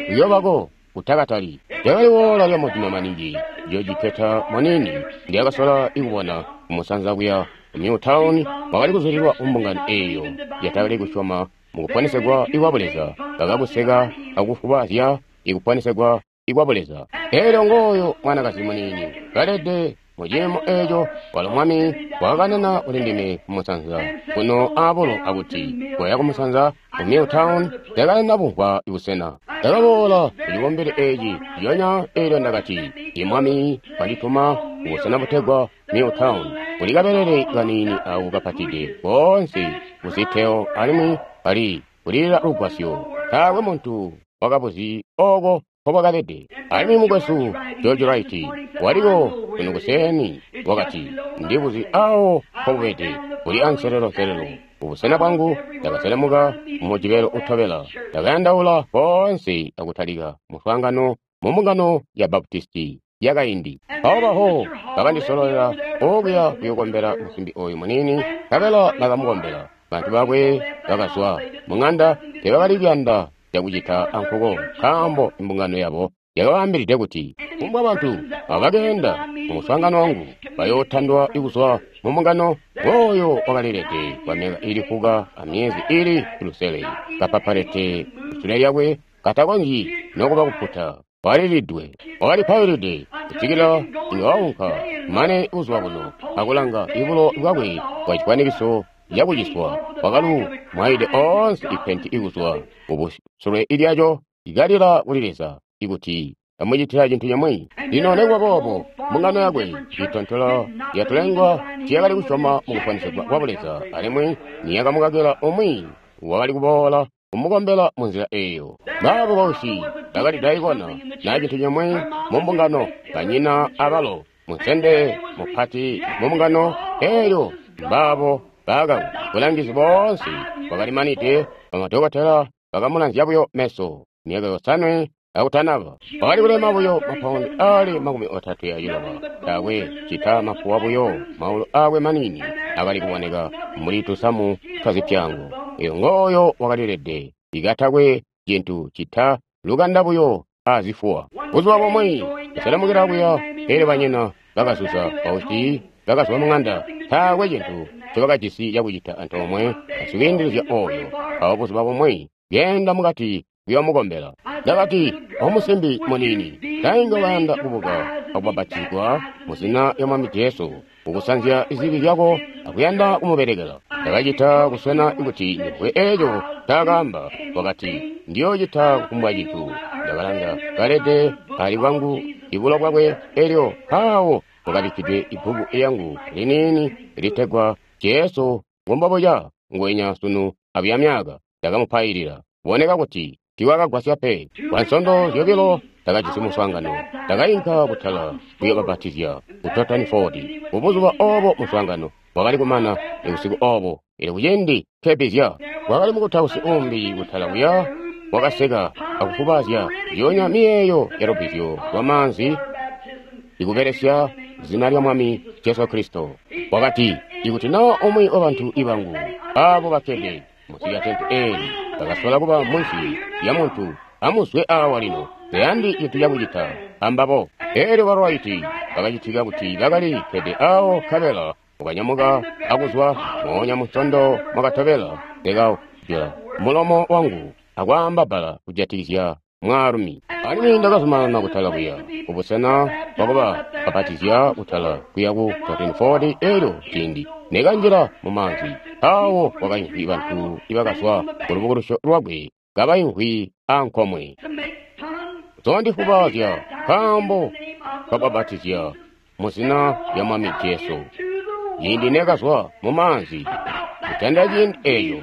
Speaker 1: kuyobako kutakatali. Lyakali woola lya mudima maningi George Peter muniini ndyakasola ikubona kumusanza kuya ku Newtown, wakali kuzulilwa kumbungano eeyo yatakali kusyoma mukuponesegwa ikwa Buleza, bakakuseka akufubazya ikuponesegwa ikwa Buleza. Elyo ngooyo mwanakazi muniini kalede muciimo eeco, walo Mwami wakakanana kuli ndime kumusanza kuno aabulo akuti, "Koya kumusanza ku Newtown." Ndakalina bumvwa ibusena. Ndakaboola kucibumbili eeci lyonya eelyo ndakati, "I Mwami wandituma kubusena butegwa Newtown, kuli kabelele kaniini ako kapatide koonse kuziteo alimwi kali kulilila lugwasyo. Taakwe muntu wakabuzi oko nkobwakabede." Alimwi mukwesu George Wright waliko kuno kuseeni wakati, "Ndibuzi awo nkobubede, kuli anselelo-nselelo ubusena bwangu." Ndakaselemuka mumujibelo utobela, ndakayandaula koonse akutalika muswaangano mu mbungano ya Baptisti yakaindi. Mpawo baho bakandisololela okuya kuyokombela musimbi oyu muniini, nkabela bakamukombela. Bantu bakwe bakazwa mung'anda, tebakali kuyanda cakucita ankuko, nkaambo imbungano yabo yakabaambilide kuti kumbwa bantu abo bakeenda mu muswaangano wangu bayootandwa kuzwa mu mbungano. Oyo wakalilede kwa myaka iili fuka amyezi iili lusele, kapapalete kusule lyakwe, katakonzyi nokuba kuputa, walilidwe, wakalipailide kusikila inga waunka mane kuzwa kuno akulanga ibulo bwakwe bwa cifwanikiso cakuciswa, wakalu mwaide oonse ipenti ikuzwa kubusule ilyaco, ikalila kuli Leza ikuti amucitila cintu cimwi. Lino nekuba boobo mbungano yakwe itontola yatulengwa tiyakali kusyoma mukufwanisegwa kwa Buleza, alimwi niyakamukakila umwi wakali kuboola kumukombela munzila eeyo. Baabo bausyi bakali daikona na cintu cimwi mu mbungano, banyina abalo munsende mupati mu mbungano eeyo, mbaabo baakaku bulangizi boonse bwakalimanide. Bamadokotela bakamulanzya buyo meso myaka yosanwe akutanaba. Wakali kulema buyo mapaundi aali makumi otatwe aciloba, taakwe cita mafuwa buyo, maulu aakwe maniini akali kuboneka mbuli tusamu twazipyango. Eyo ngooyo wakalilede ikatakwe cintu cita lukanda buyo azifuwa. Buzuba bumwi kuselemukila kuya, elyo banyina bakazuza, bausyi bakazwa mung'anda, taakwe cintu ncobakajisi cakucita antoomwe asikuindilizya oyo. Mpawo buzuba bumwi keenda mukati kuyomukombela, ndakati, omusimbi muniini, tainga wayanda kubuka akubapatizigwa mu zina lya Mwami Jesu, kukusanzya zibi zyako akuyanda kumubelekela. Ndakacita kuswena kuti ndimvwe eeco ncaakaamba. Wakati, ndiyoocita kufumbwa cintu. Ndakalanga kalede ali bwangu ibulo bwakwe, elyo mpaawo kwakabikkidwe ibbuku lyangu liniini litegwa Jesu Ngumbobuca Nguwenya Sunu Abuya Myaka. Ndakamupailila. Boneka kuti tiiwakagwasya pe. Kwa nsondo zyobilo ndakajisi muswaangano. Ndakainka kutala kuyobapatizya ku Totten Ford. Kubuzuba oobo muswaangano wakali kumana busiku oobo. Elyo kuciindi nkebizya, kwakali mukutausi uumbi kutala kuya wakaseka akufubazya zyoonya miyeeyo ya lubbizyo lwamaanzi ikubelesya zina lya Mwami Jesu Kristo. Wakati, ikuti naa umwi wabantu ibangu aabo bakkede munsi lya tente eeli bakasola kuba munsi lya muntu, amuzwe aawa lino, tayandi cintu cakucita ambabo. Eelyo balwaiti bakacitika kuti bakali kkede aawo, nkabela wakanyamuka akuzwa moonya munsondo mwakatobela. Ndakajula mulomo wangu akwaamba bbala kujatikizya mwaalumi, alimwi ndakazumanana kutala kuya kubusena bwakuba bapatizya kutala kuya ku Totten Ford. Elyo ciindi nekanjila mu maanzi, mpawo kwakaimvwi bantu ibakazwa kulubukulusyo lwakwe kabaimvwi ankomwe, zondifubazya nkaambo kabapatizya mu zina lya Mwami Jesu. Ciindi nekazwa mu maanzi kutanda ciindi eeco,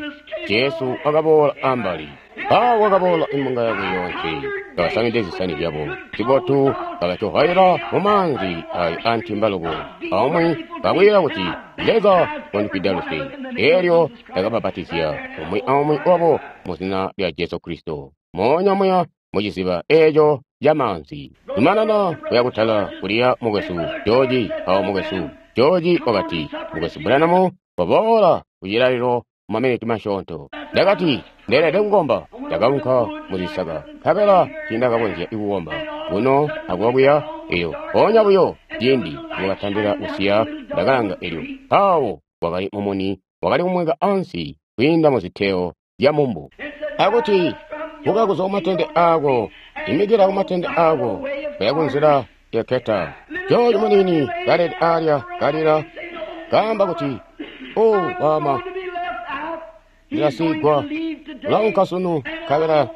Speaker 1: Jesu wakaboola ambali. Mpawo wakaboola imbunga yakwe yoonse, kabasamide zisani zyabo zibotu, bakacohaila mu maanzi ayo antimbaluko, aumwi kakwiila kuti, Leza wandifwida luse. Elyo ndakabapatizya umwi aumwi wabo mu zina lya Jesu Kristo, moonya muya muciziba eeco camaanzi. Zumanana kuya kutala kuliya mukwesu George. Mpawo mukwesu George wakati, mukwesu Branham, waboola kucilalilo mumaminiti masyoonto. Ndakati, ndeelede kukomba. Ndakaunka muzisaka, nkabela tiindakakonzya kukomba kuno akuwa kuya. Elyo mpoonya buyo ciindi wakatandila kusiya, ndakalanga, elyo mpaawo kwakali mumuni wakali kumweka ansi kwiinda muziteo zya mumbu, akuti, buka kuzwa kumatende aako, imikila kumatende aako, kuya kunzila ya Keta. George muniini kalede alya kalila, kaamba kuti, o wama, ndilasigwa, ulaunka sunu, nkabela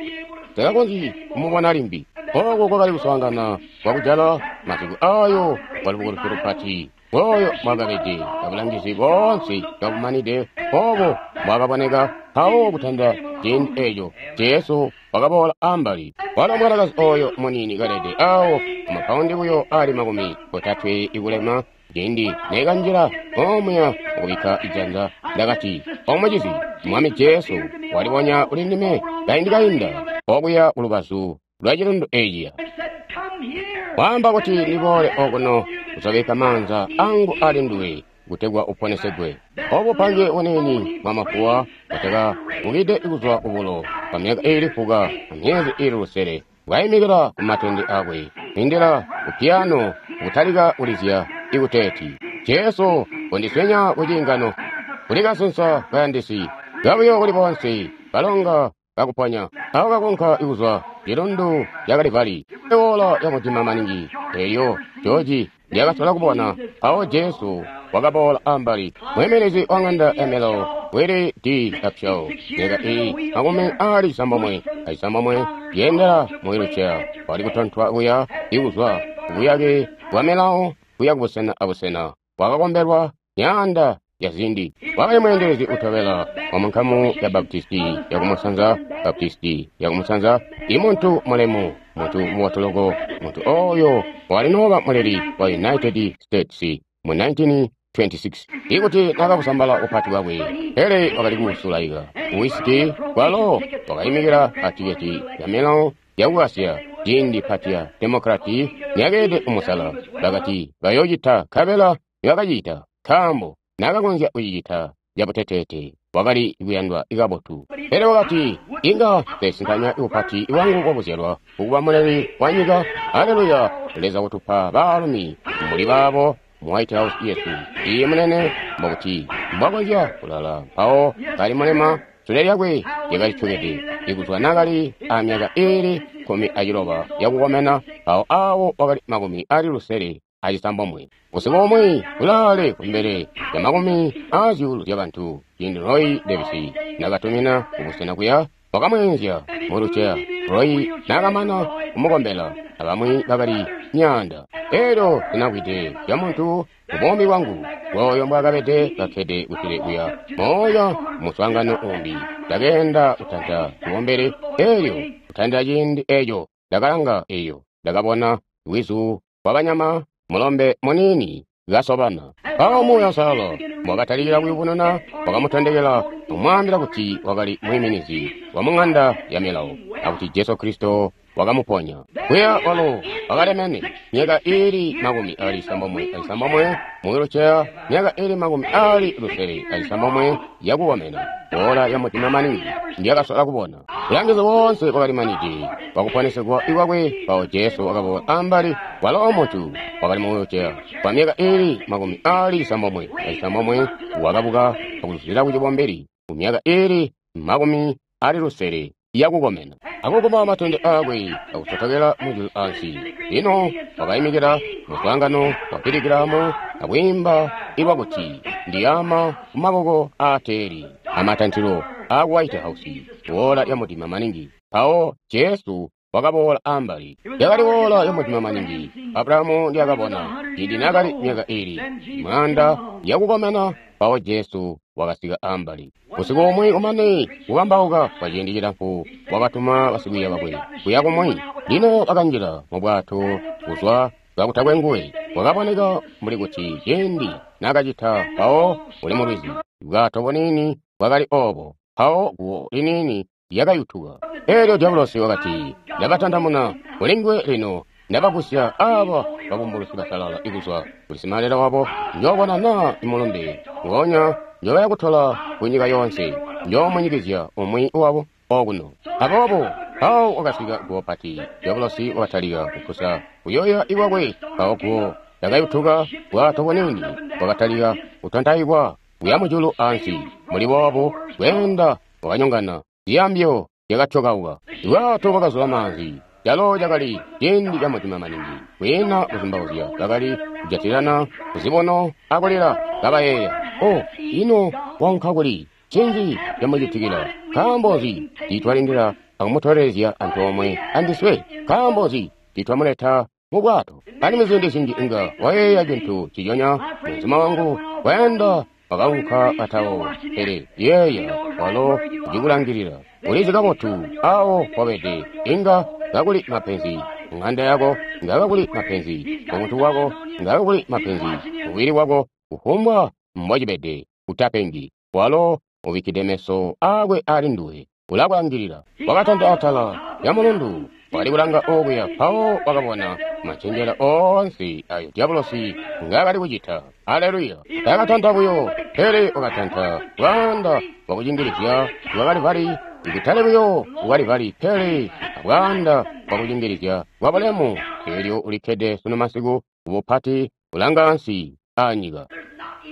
Speaker 1: takakonzyi kumubona limbi. Ooko kwakali kuswaangana kwakujala masiku ayo kwa lubukulusyo lupati. Oyo mwakabede abulangizi boonse kabumanide, obo mwakaboneka. Mpawo kutanda ciindi eeco Jesu wakaboola ambali. Walo mwanakazi oyo muniini kalede awo amapaundi buyo ali makumi otatwe ikulema. Ciindi nekanjila omuya mukubikka ijanza, ndakati, omucizi, Mwami Jesu walibonya kuli ndime kaindi kainda okuya kulubazu lwa cilundu eciya. Waamba kuti ndiboole okuno kuzobikka maanza angu ali nduwe kutegwa uponesegwe. Obu pange buniini bwa mafuwa butaka bukide kuzwa kubulo kwa myaka iili fuka na myezi iili lusele bwayimikila ku matende akwe indila ku piyano kutalika kulizya ikuteeti Jesu kundiswenya ku ciingano kuli kasensa kayandisi kabuyo kuli bonse kalonga kakuponya awo kakunka ikuzwa cilundu ca Kalivali iwola ya mudima maningi elyo George lyakasola kubona awo Jesu wakaboola ambali mwemelezi wa ng'anda ya Melo Willie D. Upshaw myaka iyi makumi ali isambomwe aisambomwe yendela mu wheelchair wali kutontwa kuya ikuzwa kubuyake bwa Melo kuya kubusena abusena wakakombelwa myaanda ya zindi. Wakali mweendelezi utobela wa munkamu ya Baptisti ya kumusanza Baptisti ya kumusanza imuntu mulemu muntu muwatoloko muntu oyo walinooba muleli wa United States mu nineteen twenty-six. Ikuti nakakusambala upati bwakwe pele wakali kusulaika wisiki kwalo wakayimikila atiketi ya Melo ya ku Asia ciindi pati ya Demokrati niyakeede umusala bakati bayoocita nkabela nibakacita nkaambo nakakonzya kucicita cabuteteete wakali kuyandwa kabotu. Pele wakati inga ndesintanya upati wangu wakuzyalwa kukuba muleli wa nyika. Haleluya! Leza kutupa baalumi mbuli baabo mu White House yesu. Iye munene mbokuti mbwakonzya kulala mpawo kali mulema sule lyakwe lyakali tyokede ikuzwa nakali amyaka iili kkumi aciloba yakukomena mpawo awo wakali makumi ali lusele acisambomwe. Busiku bumwi kulaale kumbele ya makumi aazyuulu zyabantu ciindi Roy Davis nakatumina kubusena kuya wakamweenzya mu wheelchair. Roy nakamana kumukombela abamwi bakali myaanda. Elyo sinakwide zya muntu mubuumi bwangu bwoyo mbwakabede kakkede kusule kuya moya muswaangano umbi. Ndakeenda kutanta cibombele elyo kutandila ciindi eco ndakalanga eyo ndakabona lwizu lwabanyama mulombe muniini kasobana. Mpawo Muuya Uusalala mbwakatalikila kuyubununa wakamutondekela kumwaambila kuti wakali mwiiminizi wa mung'anda ya milawo akuti Jesu Kristo wakamuponya. Kuya walo wakalemene myaka iili makumi ali isambomwe aisambomwe mu wheelchair myaka iili makumi ali lusele aisambomwe yakukomena wola ya mudima maningi ndiyakasola kubona. Bulangizi boonse bwakali manidi bwakuponesegwa ikwakwe mpawo Jesu wakaboola ambali walo muntu wakali mu wheelchair kwa myaka iili makumi ali isambomwe aisambomwe wakabuka akuzuzila ku cibombeli ku myaka iili makumi ali lusele yakukomena akuguma matende akwe akusotokela mujulu ansi. Lino wakayimikila muswaangano wa Piligilamu akwiimba ilwakuti ndiyama kumaboko aateeli amatantilo a White House wola ya mudima maningi. Mpawo Jesu wakaboola ambali yakali wola ya mudima maningi Abrahamu ndiyakabona ciindi nakali myaka iili mwaanda yakukomena. Mpawo Jesu wakasika ambali. Busiku bumwi kumane kukambauka kwa ciindi cilamfu wakatuma basikwiiya bakwe kuya kumwi. Lino bakanjila mu bwato kuzwa kakutakwe nguwe. Kwakaboneka mbuli kuti ciindi nakacita mpawo uli mu lwizi bwato buniini bwakali obo mpawo guwo liniini lyakayutuka. Elyo Diabolosi wakati ndabatandamuna kuli nguwe lino ndabagusya aba babumbulusi basalala ikuzwa kuli simalela wabo njoobona naa imulumbe ngonya njobaya kutola kunyika yoonse njoomunyikizya umwi wabo okuno. Aboobo mpawo wakasika guwo pati. Diabolosi wakatalika kupusa kuyoya ikwakwe mpawo guwo lyakayutuka bwato buniini bwakatalika kutontaikwa kuya mujulu ansi. Muli boobu bweenda bwakanyongana ziyambyo zyakatyokauka bwato bwakazula maanzi. Calo cakali ciindi ca mudima maningi kwiina kuzumbauzya bakali kujatilana kuzibono akulila kabayeeya o ino waunka kuli ncinzi camucitikila nkaambo nzi tiitwalindila akumutolelezya antoomwe andiswe nkaambo nzi tiitwamuleta mu bwato. Alimwi ziindi zinji inga wayeeya cintu ciconya mweenzuma wangu wayanda wakaunka atawo pele yeeya walo ucikulangilila ulizi kabotu awo wabede inga ngakuli mapenzi ng'anda yako ngakakuli mapenzi umuntu wako ngakakuli mapenzi mubili wako kufumbwa mbwacibede utapengi walo ubikkide meso akwe ali nduwe ulakulangilila. Wakatanta atala ya mulundu Wakali kulanga okuya, mpawo wakabona macenjela oonse ayo dyabulosi ngaakali kucita. Aleluya! Takatanta buyo, pele wakatanta bwaanda bwakucingilizya bwa Kalivali, ikutali buyo ku Kalivali, pele abwaanda bwakucingilizya bwa bulemu. Elyo ulikkede sunu masiku kubupati, kulanga ansi aa nyika.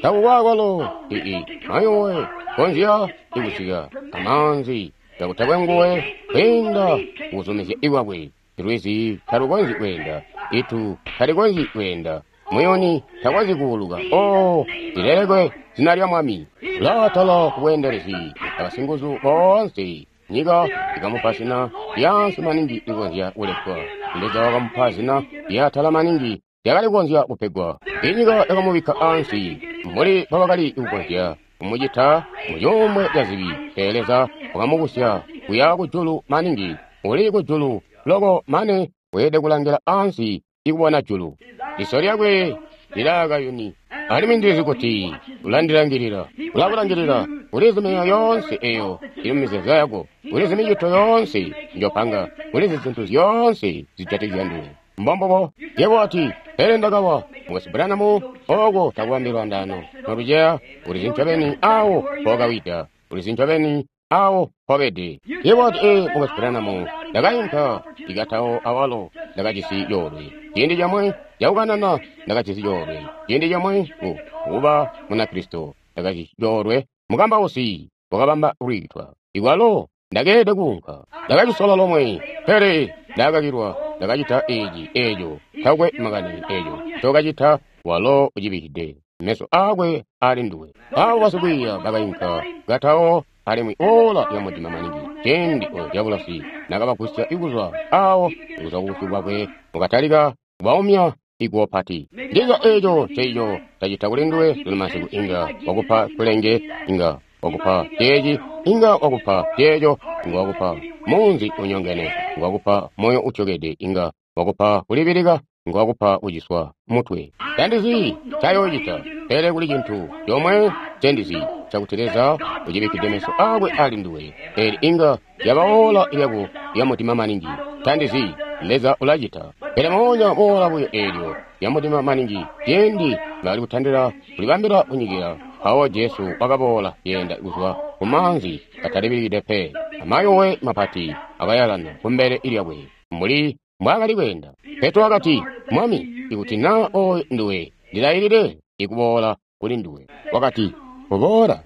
Speaker 1: Takukwakolo ii mayowe konzya ikusika amaanzi kakutakwe nguwe kwiinda kuzumizya ikwakwe. Lwizi talukonzyi kweenda, itu talikonzyi kweenda, muyuni takonzyi kuuluka. Oh, lilelekwe zina lya Mwami. Ulaatala kubweendelezi abasinguzu boonse. Nyika ikamupa zina lyaansi maningi likonzya kuletwa. Leza wakamupa zina lyaatala maningi lyakali kukonzya kupegwa. Inyika yakamubikka ansi mbuli mbobakali kukonzya kumucita mu cuumbwe ca zibi, pele Leza wakamubusya kuya kujulu maningi. Uli kujulu loko mane weelede kulangila ansi ikubona julu. Liso lyakwe lilaakayuni, alimwi ndilizi kuti ulandilangilila. Ulakulangilila. Ulizi myoyo yoonse eyo ili mumizeezo yako. Ulizi micito yoonse njopanga. Ulizi zintu zyoonse zijatikizya nduwe. Mbombubo. Yebo wati, pele ndakawa. Mukwesu Branham, oko takubambi lwandaano noluceya. Ulizi ncobeni awo mpokawida. Ulizi ncobeni awo mpobede. Yebo wati, ee, Mukwesu Branham, ndakainka ikatawo awalo ndakajisi coolwe. Ciindi comwe cakukanana ndakajisi coolwe. Ciindi comwe ku kuba Munakristo ndakajisi coolwe. Mukambausi wakabamba lwiitwa. Ikwalo ndakeelede kuunka. Ndakacisola lomwe, pele ndakakilwa. Ndakacita eci eco, takwe makani eco ncokacita, walo ucibikkide meso akwe ali nduwe. Abo basikwiiya bakainka katawo, alimwi ola lyamudima maningi ciindi oyo dyabulosi nakabagusya ikuzwa awo, ikuzwa kubusyu bwakwe mukatalika kubaumya iguwo pati. Ndiza eco nceico cacita kuli nduwe sunu masiku. Inga wakupa kulenge, inga wakupa ceeci, inga wakupa ceeco, inga wakupa munzi unyongene, inga wakupa moyo utyokede, inga wakupa kulibilika, inga wakupa kuciswa mutwe. Tandizi ncayoocita, pele kuli cintu comwe ncendizi, cakuti Leza ucibikkide meso akwe ali nduwe. Eli inga lyaba ola lyako lya mudima maningi. Tandizi, Leza ulacita. Pele moonya moola buyo eelyo lya mudima maningi, ciindi bakali kutandila kulibambila kunyikila, mpawo Jesu wakaboola yeenda kuzwa ku maanzi katalibilikide pe. Amayowe mapati akayalana kumbele lyakwe mbuli mbwaakali kweenda. Petro wakati, Mwami, ikuti naa oyo nduwe, ndilailile ikuboola kuli nduwe. Wakati, kuboola,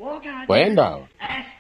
Speaker 1: kweenda awa.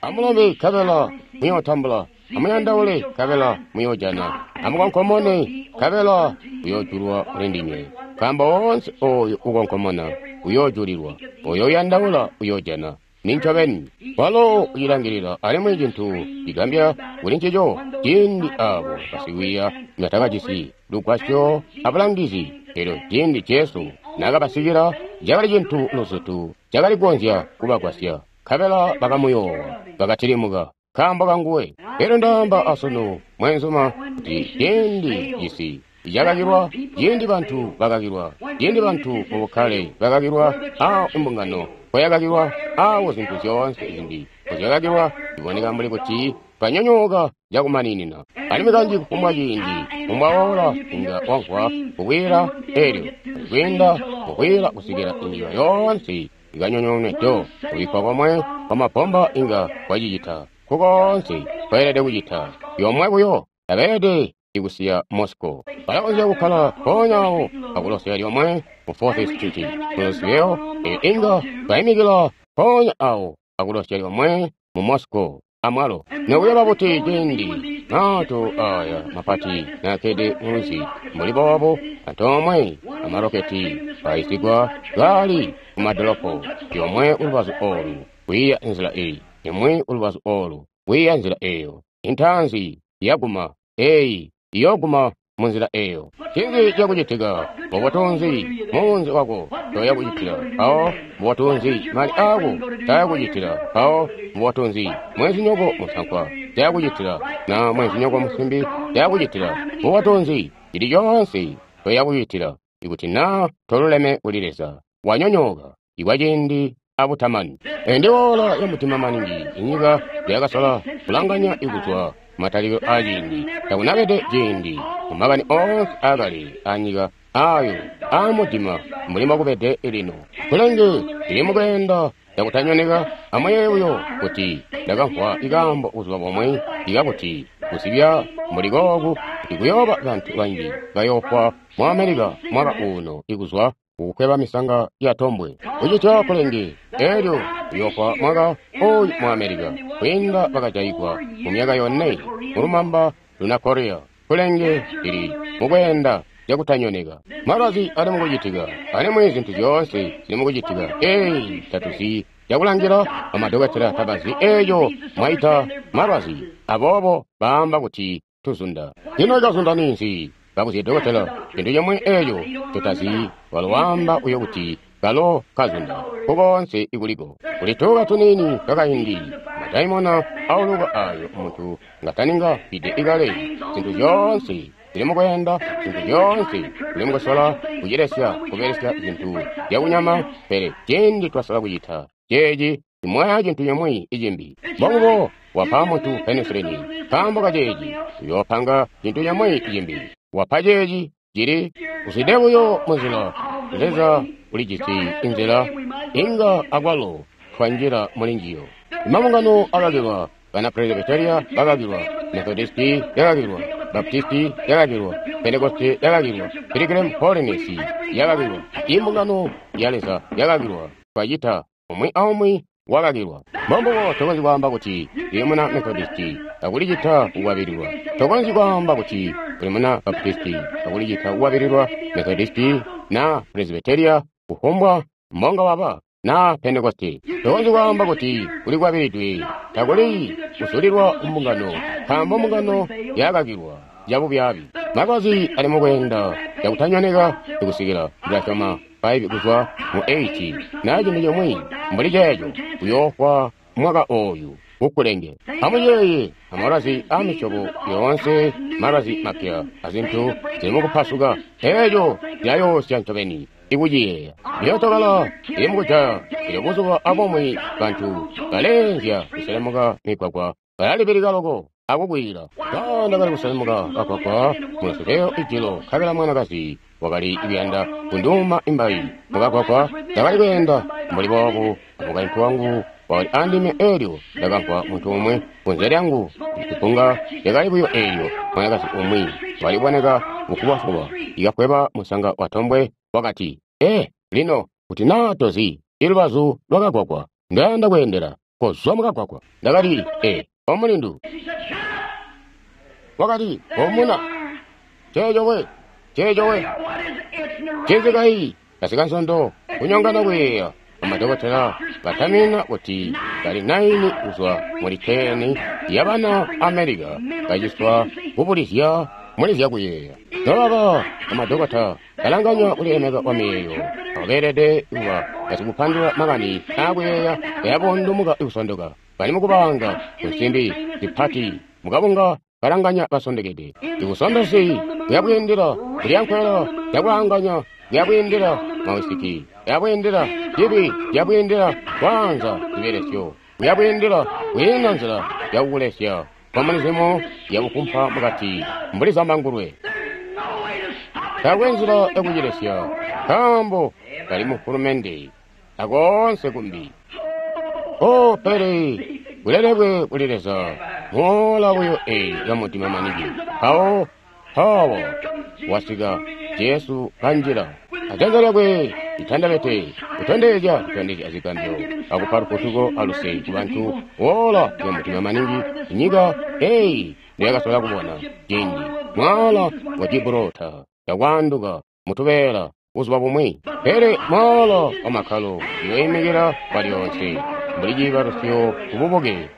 Speaker 1: Amulombe nkabela muyootambula, amuyandaule nkabela muyoojana, amukonkomone nkabela uyoojulwa kuli ndinywe. Nkaambo woonse oyo ukonkomona uyoojulilwa, oyo uyandaula uyoojana. Nincobeni walo ucilangilila, alimwi cintu cigambya kuli ncico ciindi abo basikwiiya nibatakajisi lugwasyo abulangizi. Elyo ciindi Jesu naakabasikila, cakali cintu luzutu cakali kukonzya kubagwasya, nkabela bakamuyoowa, bakatilimuka nkaambo kanguwe. Elyo ndaamba asunu, mwenzuma, kuti ciindi cisi cakakilwa, ciindi bantu bakakilwa, ciindi bantu mubukkale bakakilwa, a mbungano koyakakilwa, awo zintu zyoonse zimbi kozyakakilwa, iboneka mbuli kuti twanyonyooka cakumaninina. Alimwi kanji kufumbwa ciindi kufumbwa ola inga wamvwa kukwiila, elyo kwiinda kukwiila kusikila inyika yoonse ikanyonyoonwe do. Kubikkwa komwe kwamabomba inga kwacicita kukoonse kweelede kucita. Yomwe buyo tabeelede ikusiya Moscow. Balakonzya kukkala mpoonya awo akulosya lyomwe mu fourth Street Louisville, eyo inga baimikila mpoonya awo akulosya lyomwe mu Moscow amwalo. Nokuyaba buti ciindi maato aya mapati naakede mulwizi mbuli boobo, antoomwe amaroketi aisigwa kaali kumadolopo, yomwe kulubazu olu kwiiya nzila eyi, imwi kulubazu olu kwiiya nzila eyo. Intaanzi yaguma eyi iyoguma munzila eyo. Ncinzi cakucitika? Mubutunzi muunzi wako toyakucitila mpawo, mubutunzi mali ako tayakucitila mpawo, mubutunzi mwenzinyoko musankwa tayakucitila, na mwenzinyoko musimbi tayakucitila, mubutunzi cili coonse toyakucitila. Ikuti naa toluleme kuli Leza, wanyonyooka ikwa ciindi abutamani. Eyi ndi ola ya mutima maningi inyika lyakasola kulanganya ikuzwa matalikilo aa ciindi. Takunabede ciindi mumakani oonse aakale anyika ayo aamudima mbuli mbokubede lino. Kulenge lili mukweenda cakutanyoneka. Amuyeeye buyo kuti ndakamvwa ikaambo buzuba bumwe ikakuti kusibya mbuli kooku kuti kuyooba bantu banji bayoofwa mu Amerika mwaka uno ikuzwa kukukweba misanga ya tombwe. Kucitya kulenge elyo kuyoofwa mwaka oyu mu Amerika kwiinda bakajayigwa mu myaka yone mulumamba luna Korea. Kulenge lili mukweenda cakutanyoneka. Malwazi ali mukucitika, alimwi zintu zyoonse zili mukucitika. Eyi tatuzi cakulangila, bamadokotela tabazi eeyo mwaita malwazi, aboobo baamba kuti tuzunda. Ino ikazunda ninzi? Bakuzye dokotela cintu cimwe eeyo tutazi, walo waamba uyo kuti kalo kazunda kukoonse ikuliko. Kuli tuuka tuniini twakaindi, madaimona auluka ayo muntu ngataninga fide ikale. Zintu zyoonse zili mukweenda, zintu zyoonse zili mukusola kucilesya kubelesya zintu zyakunyama, pele ciindi twasola kucita ceeci imwaya cintu cimwi icimbi. Mbobubo wapa muntu penisilini nkaambo kaceeci uyoopanga cintu cimwi icimbi. Wapa ceeci cili uzwide buyo munzila. Leza ulijisi inzila inga akwalo twanjila mulinjiyo. Imabungano akakilwa, bana Presbyteria bakakilwa, Methodisti yakakilwa, Baptisti yakakilwa, Pentekoste yakakilwa, Pilgrim Holiness yakakilwa, imbungano ya Leza yakakilwa. Twacita umwi aumwi wakakilwa. Mbombubo tokonzyi kwaamba kuti uli muna Methodisti akulicita kukwabililwa. Tokonzyi kwaamba kuti uli muna Baptisti akulicita kukwabililwa, Methodisti na Presbyteria, kufumbwa mbonga waba na Pentekoste. Tokonzyi kwaamba kuti ulikwabilidwe, takuli kusulilwa mbungano, nkaambo mbungano yakakilwa yabubyaabi. Malwazi ali mukweenda cakutanyoneka ikusikila ndilasyoma faivi kuzwa mu eight na cintu cimwi mbuli ceeco uyoofwa mwaka oyu kukulenge. Amuyeeye amalwazi a misyobo yoonse, malwazi mapya azintu zili mukupasuka, eeco zilayoosya ncobeni ikuciyeeya. Myootokala ili mukujaya, elyo buzuba abumwi bantu baleenzya kuselemuka migwagwa balalibilika loko akukwiila. Ndakali kuselemuka kagwagwa muluseleyo ijilo, nkabela mwanakazi wakali kuyanda kunduuma imbayi mukagwagwa. Ndakali kweenda mbuli boobu, amukaintu wangu wakali andime, elyo ndakamvwa muntu umwe kunze lyangu. Ipunga lyakali buyo eelyo mwanakazi umwi waliboneka bufubafuba ikakweba musanga wa tombwe, wakati, "E, lino kuti naa tozi ilubazu lwakagwagwa ndayanda kweendela, kozwa mukagwagwa." Ndakati, "E, omulindu." Wakati, "Omuna, ceeco we, ceeco we." Cizikayi kasika nsondo kunyongana kuyeeya. Bamadokotela batamina kuti bali naini kuzwa muli teni yabana Amerika baciswa kubulizya muli zyakuyeeya. Nobaba bamadokota balanganya kulilemeka kwa miyeeyo, abo beelede kuba basikupandula makani aakuyeeya bayabundumuka kusondoka. Bali mukubanga kunsimbi zipati mukabunga balanganya basondekede. Ibusondosi buyabwiindila kulyankwela zyakulanganya, buyabwiindila mawisiki, buyabwiindila cibi, buyabwiindila kwaanza zibelesyo, buyabwiindila kwiina nzila yakukulesya komunizimu yakukumpa mukati mbuli zambangulwe. Taakwe nzila yakucilesya nkaambo kali mufulumende akoonse kumbi. O pele bulelekwe kuli Leza moola buyo eyi yamutima manigi. Mpawo mpawo wasika Jesu kanjila ajanza lyakwe litandabete kutondezya zitondezyo azigambyo akupa lufutuko aluse kubantu. Woola yamutima maningi inyika eyi ndiyakasola kubona ciindi mwaala wa Gibraltar yakwaanduka mutubeela buzuba bumwi, pele mwaala wa makkalo uyoimikila kwalyoonse mbuli ciibalusyo kububuke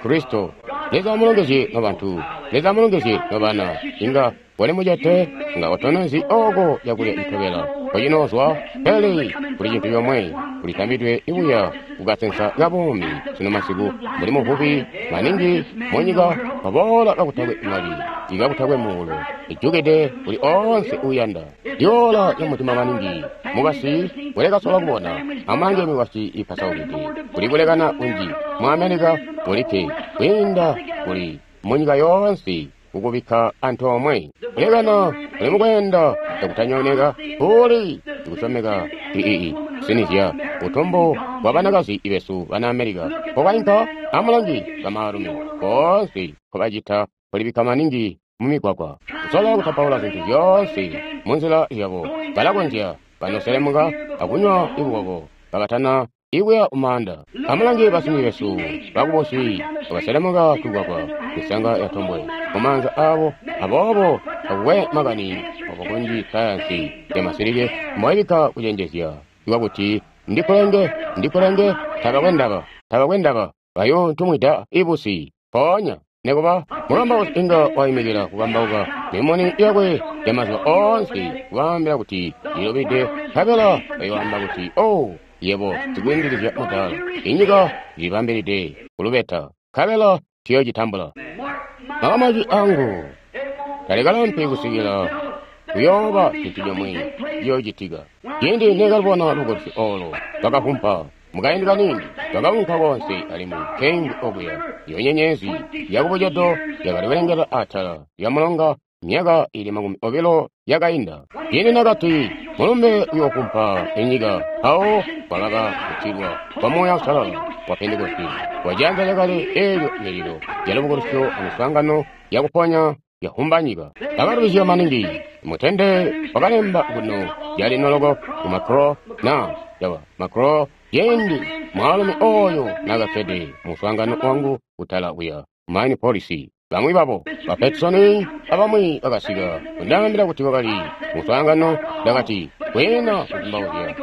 Speaker 1: Kristo. Leza amulongezye nobantu, Leza amulongezye nobana. Inga wali mucete nga otonezi oko yakulya itobela kocinozwa, pele kuli cintu comwe kulitambidwe ibuya kukasensa kabuumi sino masiku. Mbuli muvubi maningi munyika waboola kakutakwe mali ikakutakwe muulo ijukide kuli oonse uuyanda. Lyoola lyamutima maningi mukasi kulekasola kubona amulange mikwasyi ipasaukide kuli kulekana kunji mu Amerika kulikke kwiinda kuli munyika yoonse kukubikka antoomwe. Kulekana kuli mukweenda cakutanyoneka, kuli ikusyomeka ii kusinizya butumbu bwa banakazi besu bana Amerika. Kobainka amulangi bamaalumi boonse nkobacita kulibikka maningi mu migwagwa, kusola kutapaula zintu zyoonse munzila yabo. Balakonzya banoselemuka akunywa ibukoko kabatana ikuya kumaanda. Amulange basimbi besu bakubusi bakaselemuka tugwagwa misanga ya tombwe mumaanza abo. Aboobo takukwe makani obo kunji sayansi ya masilike mboibikka kucenjezya ikwakuti ndikulenge ndikulenge tabakwe ndaba tabakwe ndaba bayontumwida ibusi. Mpoonya nekuba mukambausi inga waimikila kukambauka mimuni yakwe ya mazuba oonse kubaambila kuti ilubide, nkabela bayoamba kuti, oh, yebo sikwiindilizya mudaala, inyika ilibambilide kulubeta, nkabela tuyocitambula. Makamaki angu talikalampi kusikila kuyooba cintu comwe ciyoocitika. Ciindi nekalubona lukosi olo lwakavumpa mukaindi kaniini, lwakaunka konse alimwi nkeimvwi okuya, iyo nyenyezi yakubucedo yakali kulengela atala lya mulonga myaka ili makumi obilo yakainda. Ciindi nakati mulumbe uyoovumpa inyika, mpawo kwakaba kutilwa kwa Muuya Uusalala wa Pentekoste wa cianza cakale eelyo mililo ya lubukulusyo amiswaangano yakuponya yahumba nyika. Bakalubizya maningi. Mutende wakalemba kuno yalino loko ku Macro na yawa Macro ciindi mwaalumi oyo nakakkede muswaangano wangu kutala kuya mine policy. Bamwi babo ba Peterson abamwi bakasika kundaambila kuti wakali muswaangano. Ndakati kwiina kuzumbauzya,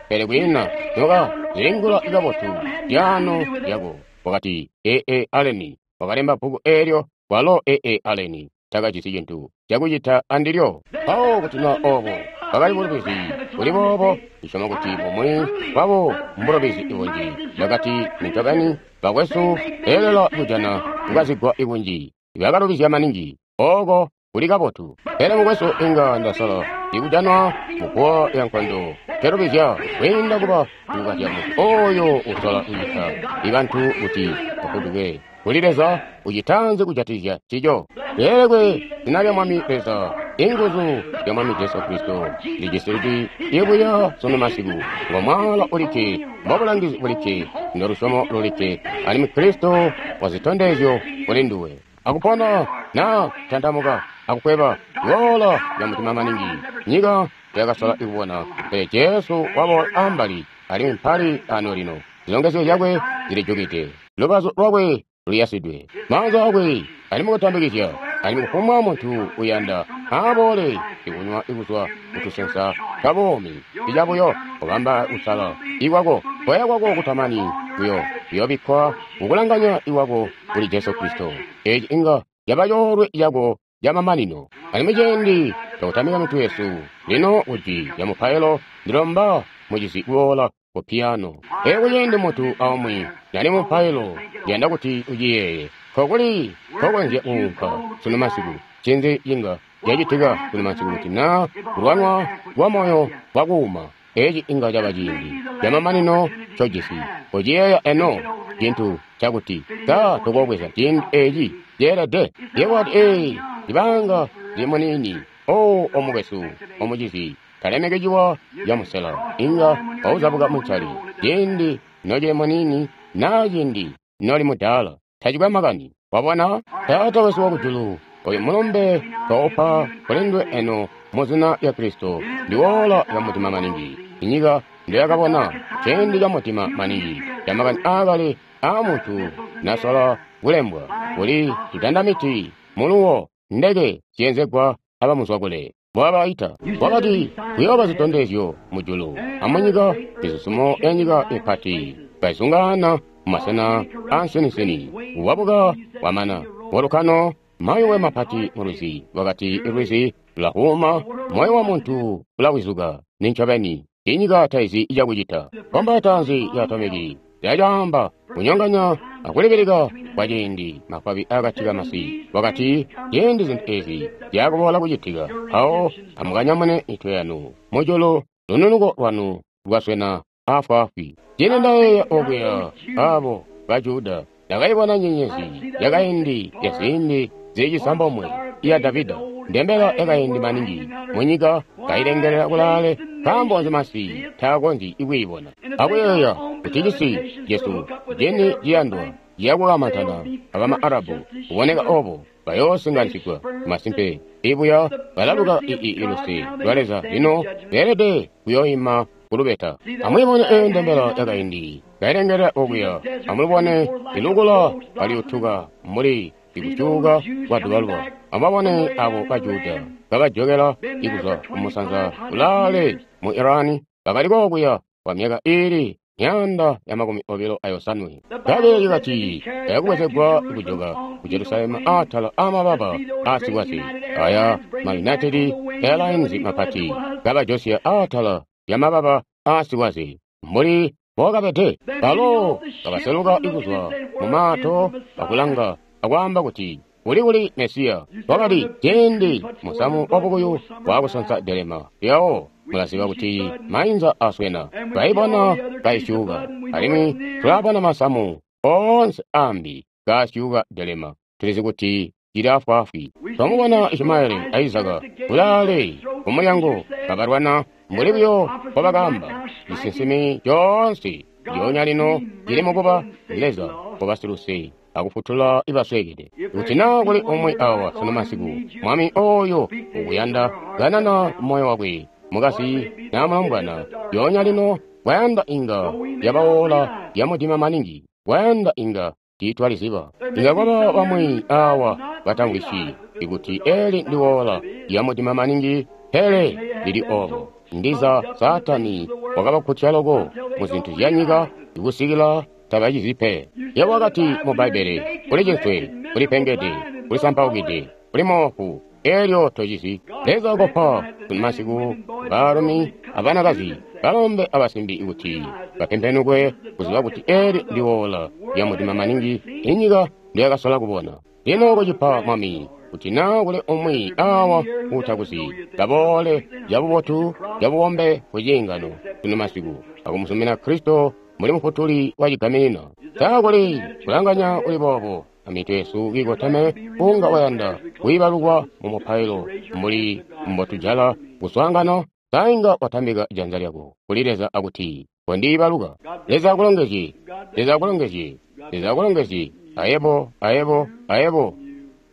Speaker 1: pele kwiina noka zilingula kabotu lyaano lyako. Wakati A A Allen wakalemba bbuku eelyo, walo A A Allen takajisi cintu cakucita andilyo. Mpawo kuti na obo bakali bulubizi buli boobo, ndisyoma kuti bumwi bwabo mbulubizi ibunji. Ndakati nincobeni bakwesu beelela kujana kukazigwa ibunji, bakalubizya maningi. Oko kuli kabotu. Pele mukwesu inga ndasala ikujanwa muguwa ya nkondo kelubizya kwiinda kuba kukazya muntu oyo usola kucita ibantu kuti bafutuke kuli Leza. Ucitanze kujatikizya ncico. Lelekwe zina lya Mwami Leza, inguzu zya Mwami Jesu Kristo lijisi ibuya sunu masiku. Ngo mwaala ulikke, mbobulangizi bulikke, ndolusyomo lulikke, alimwi Kristo wazitondezyo kuli nduwe. Akupona na kutantamuka akukweba woola ya mutima maningi nyika yakasola ikubona, pele Jesu waboola ambali alimwi mpali ano lino. Zilongezyo zyakwe zilijukide, lubazu lwakwe luyasidwe, maanza akwe ali mukutambikizya, alimwi kufumbwa muntu uyanda aboole ikunywa ikuzwa kutusensa twa buumi. Icabuyo kubamba kusala ikwako, koya kwako kutamani kuyo kuyobikkwa kukulanganya ikwako kuli Jesu Kristo. Eci inga caba coolwe cako camamanino. Alimwi ciindi cakutamika mitwe yesu lino kuji ya mupailo, ndilomba mucizi kuboola ku piano. Ee, kuciindi muntu aumwi nali mupailo, ndiyanda kuti uciyeeye nkokuli nkokonzya kuunka sunu masiku. Ncinzi cinga cacitika sunu masiku kuti na kulwanwa kwa moyo kwakuuma? Eci inga caba ciindi camamanino ncojisi. Kociyeeya eno cintu cakuti ka tukobweza ciindi eci ceelede. Yebo wati, ee, libanga lili muniini. O omukwesu omucizi, talemeke ciwa ya musela inga wauzabuka muncali ciindi nocili muniini na ciindi noli mudaala, tacikwe makani. Wabona Taata wesu wakujulu, oyu mulumbe twaupa kulindwe eno mu zina lya Kristo. Ndi woola ya mutima maningi inyika ndoyakabona, ciindi ca mutima maningi ca makani aakale aa muntu nasola kulembwa, kuli tutandamiti muluwo ndeke ziyenzegwa abamuzwakule mbwabaita. Wakati kuyooba zitondezyo mujulu amunyika, mizuzumo ya nyika mipati kaizungaana mumasena aansininsini, wabuka wamana volukano, mayuwe mapati mulwizi. Wakati ilwizi lulahuuma, moyo wa muntu ulawizuka. Nincobeni inyika taizi icakucita. Bomba taanzi ya atomiki yacaamba kunyonganya akulibilika kwa ciindi mafwabi akati kamasi. Wakati ciindi zintu ezi zyakuboola kucitika, mpawo amukanyamune mitwe yanu mujulu, lununuko lwanu lwaswena afwaafwi. Ciindi ndayeeya okuya abo ba Juda Ndakaibona nyenyezi yakaindi ya ziindi zili cisambomwe iya Davida, ndembela yakaindi maningi munyika kailengelela kulaale. Nkaambo nzi masi taakonzyi kwiibona? Akuyeeya kuti cisi cesu cini ciyandwa ciyakukamantana abama Arabu kuboneka obo bayoosinganisigwa. Masimpe ibuya balaluka ii luse lwa Leza lino beelede kuyoima kulubeta. Amwiibone eyo ndembela yakaindi kailengelela okuya. Amulubone ilukula kaliyutuka mbuli ikusyuuka kwa dubaluba. Amubabone abo ba Juda kabajokela ikuzwa kumusanza kulaale mu Irani, bakali kokuya kwa myaka iili myaanda ya makumi obilo ayosanwe. Bbaibbele likati bayakubwezegwa kujoka ku Jerusalemu atala amababa aasikwasi aya ma United Airlines mapati, kabajosya atala ya mababa aasikwasi mbuli mbokabede. Balo kabaseluka ikuzwa mu maato akulanga akwaamba kuti uli kuli Mesiya. Wakati ciindi musamu wabukuyu wakusonsa delema lyawo, mulaziba kuti mainza aswena. Twaibona kaisyuka, alimwi tulabona masamu oonse ambi kaasyuka delema. Tulizi kuti cili afwaafwi. Twamubona Ishimaeli a Izaka kulaale kumulyango kabalwana mbuli buyo mbobakaamba. Cisinsimi coonse lyoonya lino cili mukuba Leza kubasiluse akufutula ibasweekede. Kuti naa kuli umwi awa sunu masiku, Mwami oyo ukuyanda kanana moyo wakwe mukasi naa mulombwana, lyoonya lino kwayanda inga yabawola yamudima maningi, kwayanda inga tiitwaliziba. Inga kwaba bamwi awa batamvwisyi ikuti eli ndiwola yamudima maningi, pele lili obo. Ndiza Saatani wakabakkutya loko mu zintu zya nyika ikusikila tabacizi pe. Yebo wakati mu Bbaibbele, uli cinswe, uli pengede, uli sampaukide, uli moofu, elyo tocizi. Leza kopa masiku baalumi abanakazi, balombe abasimbi kuti bapempenukwe kuziba kuti eli ndiwola lya mudima maningi inyika ndiyakasola kubona. Lino kucipa Mwami, kuti naa kuli umwi awa uutakuzi, kaboole cabubotu cabubombe ku ciingano sunu masiku akumuzumina Kristo muli mufutuli wa cigaminina. Taakuli kulanganya kuli boobo amitwe yesu kiikoteme, unga wayanda kwiibalukwa mu mupailo mbuli mbotujala kuswaangano, sainga watambika janza lyako kuli Leza akuti kondiibaluka. Leza akulongezye, Leza akulongezye, Leza akulongezye, ayebo, ayebo, ayebo.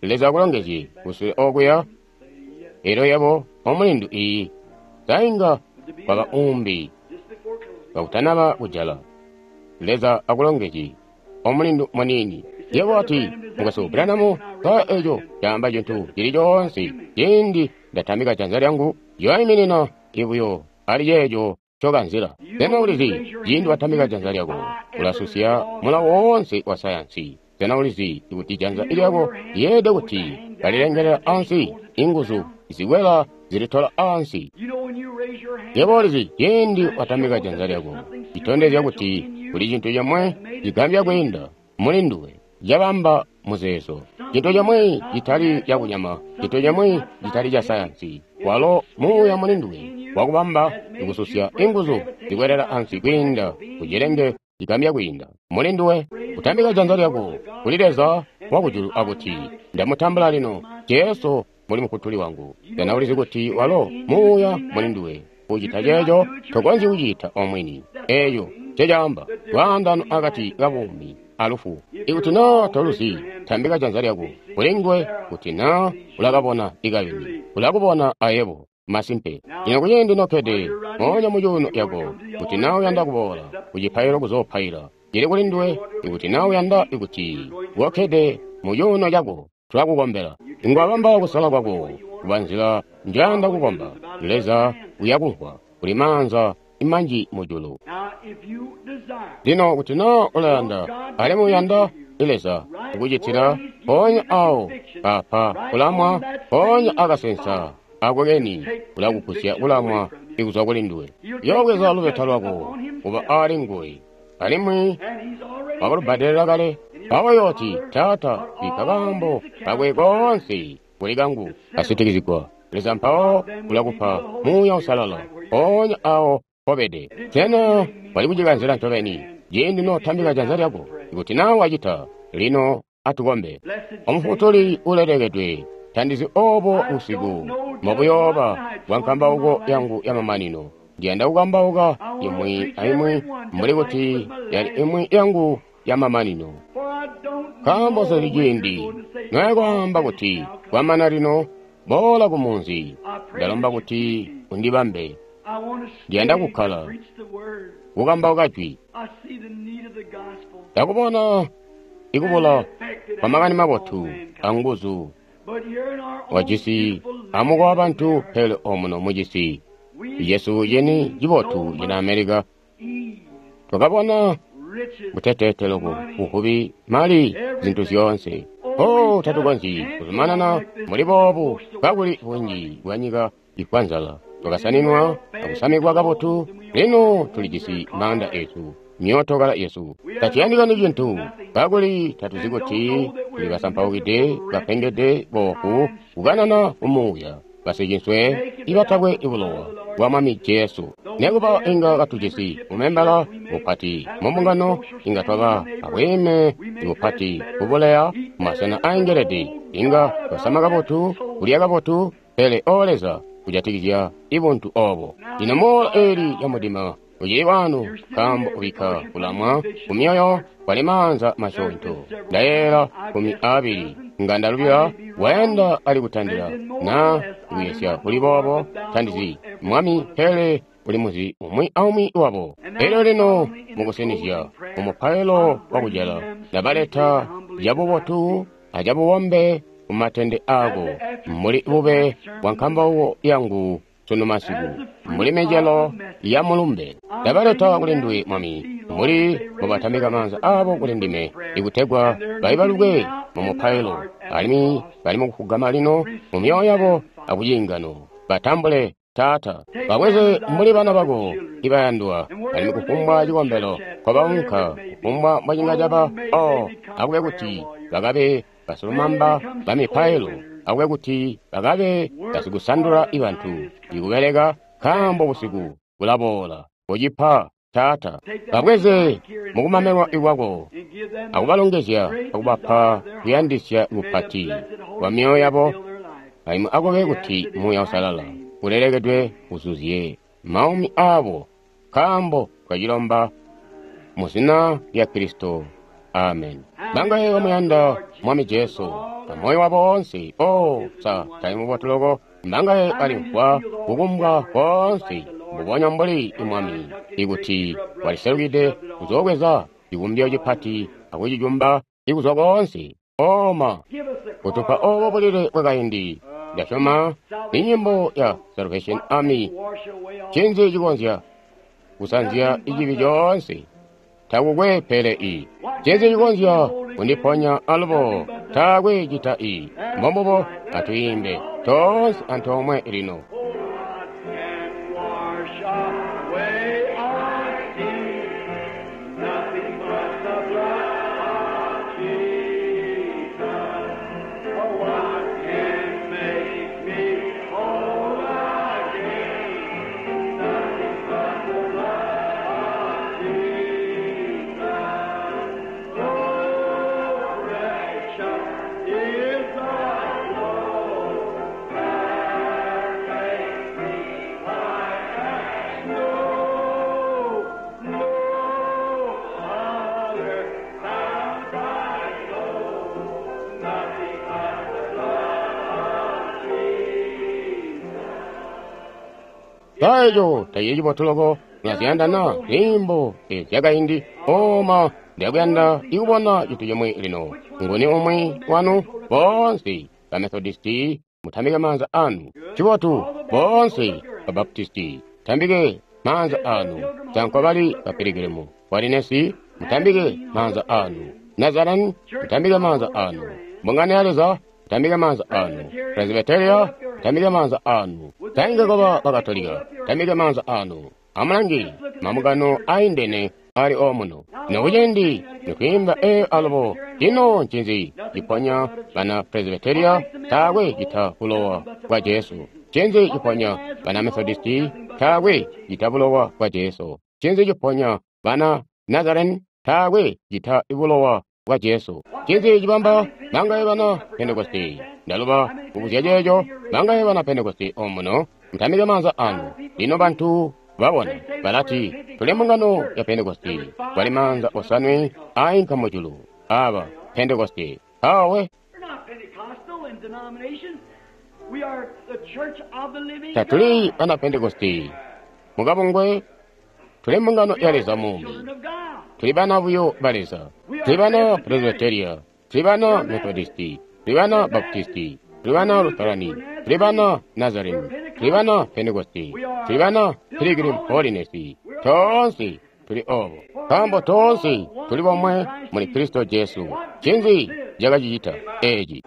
Speaker 1: Leza akulongezye kusule okuya. Elyo yebo omulindu iyi sainga kwaba umbi kakutanaba kujala. Leza akulongezye omulindu muniini. Yebo ati mukwesu Branham, sa eco caamba cintu cili coonse ciindi ndatambika janza lyangu yoiminina ibuyo ali ceeco cokanzila. Sena ulizi ciindi watambika janza lyako ulasusya mulawo woonse wa sayansi? Sena ulizi kuti janza lyako lyeelede kuti kalilengelela ansi, inguzu zikwela zilitola ansi? Yebo ulizi ciindi watambika janza lyako citondezya kuti kuli cintu comwe cigambya kwiinda muli nduwe cabamba muzeezo, cintu comwe citali cakunyama, cintu comwe citali ca sayansi. Walo muuya muli nduwe wakubamba ikususya inguzu zikwelela ansi kwiinda kucilenge cigambya kwiinda muli nduwe. Kutambika janza lyako kuli Leza wakujulu akuti ndamutambula lino Jesu muli mufutuli wangu. Sena ulizi kuti walo muuya muli nduwe kucita ceeco tokonzyi kucita omwini? Eeco ncecaamba lwaandano akati kabuumi alufu. Ikuti naa toluzi, tambika janza lyako kuli nguwe. Kuti naa ulakabona ikayuni, ulakubona ayebo. Masimpe. Lino kuciindi nokkede moonya mucuuno yako, kuti naa uyanda kuboola kucipailo kuzoopaila, cili kuli nduwe. Ikuti naa uyanda kuti kokkede mucuuno cako, tulakukombela. Ingwabamba kusala kwako kuba nzila njayanda kukomba. Leza uyakumvwa. Kuli maanza manji mujulu. Lino kuti naa ulayanda alimwi uyanda Leza kukucitila, mpoonya awo kapa kulamwa, mpoonya akasensa ako keni ulakugusya kulamwa ikuzwa kuli nduwe. Yoobweza lubeta lwako kuba ali nguwe, alimwi wakalubbadelela kale. Mpawo yooti, Taata, bikka kaambo kakwe koonse kuli kangu kasitikizigwa. Leza mpawo ulakupa Muuya Uusalala mpoonya awo mpobede. Sena wali kucikanzila ncobeni ciindi notambika janza lyako? Ikuti naa wacita, Lino atukombe. Omufutuli ulelekedwe, tandizi obo busiku mbobuyooba bwa nkambauko yangu yamamanino. Ndiyanda kukambauka imwi aimwi mbuli kuti yali imwi yangu yamamanino. Nkaambo sezi ciindi noyakwaamba kuti kwamana lino, boola kumunzi. Ndalomba kuti undibambe. Ndiyanda kukkala kukambauka jwi. Ndakubona ikubula kwa makani mabotu anguzu wajisi amukowa bantu pele omuno mucisi Yesu cini cibotu cina Amerika. Twakabona buteteete loko, buvubi, mali, zintu zyoonse. Oh, tatukonzyi kuzumanana muli boobu kakuli bunji bwa nyika ifwa nzala. Twakasaninwa akusamikwa kabotu, lino tulijisi maanda esu, myootokala yesu. Taciyandikani cintu kakuli tatuzi kuti tuli basampaukide, bapengede, boofu, kukanana kumuuya, basicinswe ibatakwe ibulowa bwa Mwami Jesu. Nekuba inga katujisi umembala mupati mumbungano, inga twaba abweeme bupati kubuleya mumasena aengelede, inga twasama kabotu, kulya kabotu, pele o Leza kujatikizya ibuntu obo. Lino moola eli ya mudima ucili wano, nkaambo ubikka kulamwa kumyoyo kwali maanza masyoonto. Ndayeeyela kumi aabili nga ndalubila wayanda ali kutandila na kuyesya kuli boobo tandizi Mwami, pele uli muzi umwi aumwi wabo. Elyo lino mukusinizya mumupailo wakujala ndabaleta cabubotu acabubombe kumatende aako mbuli bube bwa nkambauko yangu sunu masiku, mbuli micelo ya mulumbe. Ndabaleta kuli nduwe Mwami, mbuli mubatamika maanza aabo kuli ndime, ikutegwa baibalukwe mu mupailo, alimwi bali mukufugama lino mu myoyo yabo akuciingano. Batambule Taata, babweze mbuli bana bako ibayandwa, alimwi kufumbwa cikombelo nkobaunka, kufumbwa mbocinga caba, o akube kuti bakabe basilumamba ba mipailo, akube kuti bakabe basikusandula ibantu ikubeleka, nkaambo busiku bulaboola. Kucipa Taata, babweze mukumamelwa ikwako akubalongezya akubapa kuyandisya kupati kwa myoyo yabo, alimwi akube kuti Muuya Uusalala ulelekedwe uzuzye maumi aabo, nkaambo twacilomba mu zina lya Kristo. Amen. Bangaye bamuyanda Mwami Jesu amoyo wabo woonse? O, sa tali mubotu loko? Bangaye balimvwa kukumbwa koonse mbubonya mbuli Mwami ikuti waliselukide kuzoobweza cikumbyo cipati akucicumba ikuzwa koonse. Oma kutupa obo bulile bwakaindi. Ndasyoma ni nyimbo ya Salvation Army. Ncinzi cikonzya kusanzya icibi coonse? Takukwe pele i. Ncinzi cikonzya kundiponya alubo? Taakwe cita i. Mbombubo atwiimbe toonse antoomwe lino. Taeco tacili cibotu loko. Mulaziyanda na nyimbo zyakaindi? Oma ndakuyanda ikubona cintu cimwi lino. Nguni umwi wanu? Boonse ba Methodisti mutambike maanza anu. Cibotu. Boonse ba Baptisti tambike maanza anu. Sanko bali ba Piligrimu walinesi mutambike maanza anu. Nazarene mutambike maanza anu. Mbungano ya Leza mutambike maanza anu. Presbyteria mutambike maanza anu. Tainga koba Bakatolika tambike maanza anu. Amulangi mambungano aindene ali omuno. Nokucindi nikwiimba eyo alubo. Ino ncinzi ciponya bana Presbyteria? Taakwe cita bulowa bwa Jesu. Ncinzi ciponya bana Methodisti? Taakwe cita bulowa bwa Jesu. Ncinzi ciponya bana Nazarene? Taakwe cita bulowa bwa Jesu. Ncinzi cibamba bangaye bana Pentekoste? Ndaluba kubuzya ceeco. Bangaye bana Pentekoste omuno? Mutamike maanza anu. Lino bantu babona balati tuli mbungano ya Pentekoste. Kwali maanza osanwe ainka mujulu. Aba Pentekoste. Awe tatuli bana Pentekoste mukabungwe, tuli mbungano ya Leza muumi. Tuli bana buyo ba Leza. Tuli bana Presbyteria, tuli bana Methodisti, tuli bana Baptisti, tuli bana Lutherani, tuli bana Nazarene, tuli bana Pentekoste, tuli bana Pilgrim Holiness. Toonse tuli obo, nkaambo toonse tuli bomwe muli Kristo Jesu. Ncinzi cakacicita eci?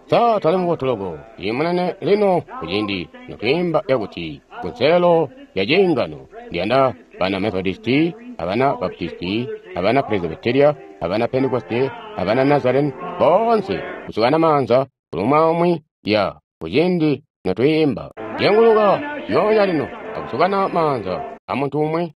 Speaker 1: Sa tali mubotuloko imunene lino kuciindi notwiimba yakuti kunselelo ya ciingano. Ndiyanda bana Methodisti, abana Baptisti, abana Presbyteria, abana Pentekoste, abana Nazarene, boonse kusukana maanza kulumwa ya kuciindi notwiimba. Jenguluka yonya lino akusukana maanza a muntu umwi.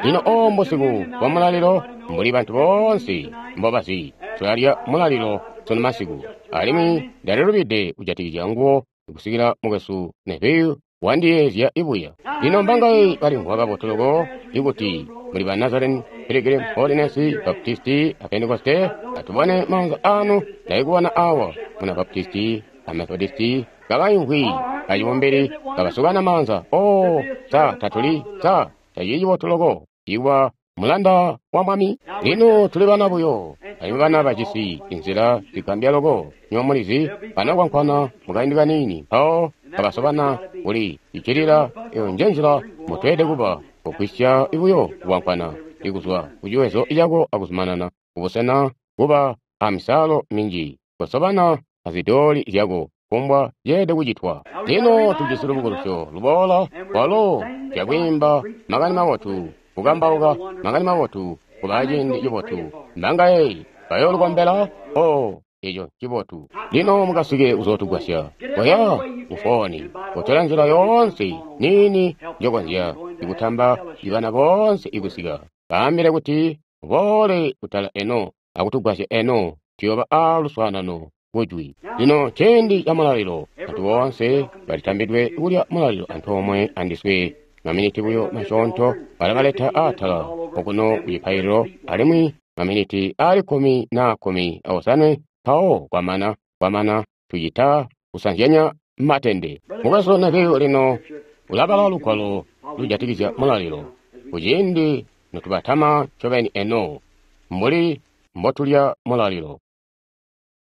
Speaker 1: Lino o mbusiku bwa mulalilo, mbuli bantu boonse mbobazi, tulalya mulalilo sunu masiku. Alimwi ndalilubide kujatikizya nguwo kusikila mukwesu Neville wandiyeezya ibuya. Lino mbangaye balimvwa kabotu loko ikuti muli ba Nazarene, Pilgrim Holiness, Baptisti, a Pentekoste, atubone maanza anu ndaikuwana awa muna Baptisti, a Methodisti, kabaimvwi acibumbili kabasukana maanza. O sa tatuli sa tacili cibotu loko iwa mulanda wa Mwami. Lino tuli bana buyo, alimwi bana bajisi inzila zigambya loko. Nywa mulizi banakwankwana mukaindi kaniini, mpawo kabasobana kuli icilila. Eyo nje nzila mutweede kuba kugwisya ibuyo kukwankwana ikuzwa kuciwezo cako akuzumanana kubusena kuba amisalo minji kusobana azidoli zyako kumbwa ceede kucitwa. Lino tujisi lubukulusyo luboola kwalo zyakwiimba makani mabotu, kukambauka makani mabotu, kuba ciindi cibotu. Mbangaye bayoolukombela? O eco cibotu. Lino mukasike kuzootugwasya. Koya kufoni, kotola nzila yoonse niini njokonzya ikutamba ibana boonse ikusika. Baambile kuti boole kutala eno akutugwasya eno, tuyoba a luswaanano kujwi. Lino ciindi ca mulalilo, bantu boonse balitambidwe kulya mulalilo antoomwe andiswe. Maminiti buyo masyoonto balabaleta atala okuno kucipaililo, alimwi maminiti ali kkumi na kkumi aosanwe mpawo kwamana kwamana tucita kusanzyanya matende. Mukwesu Neville lino ulabala lugwalo lujatikizya mulalilo kuciindi notubatama ncobeni eno mbuli mbotulya mulalilo.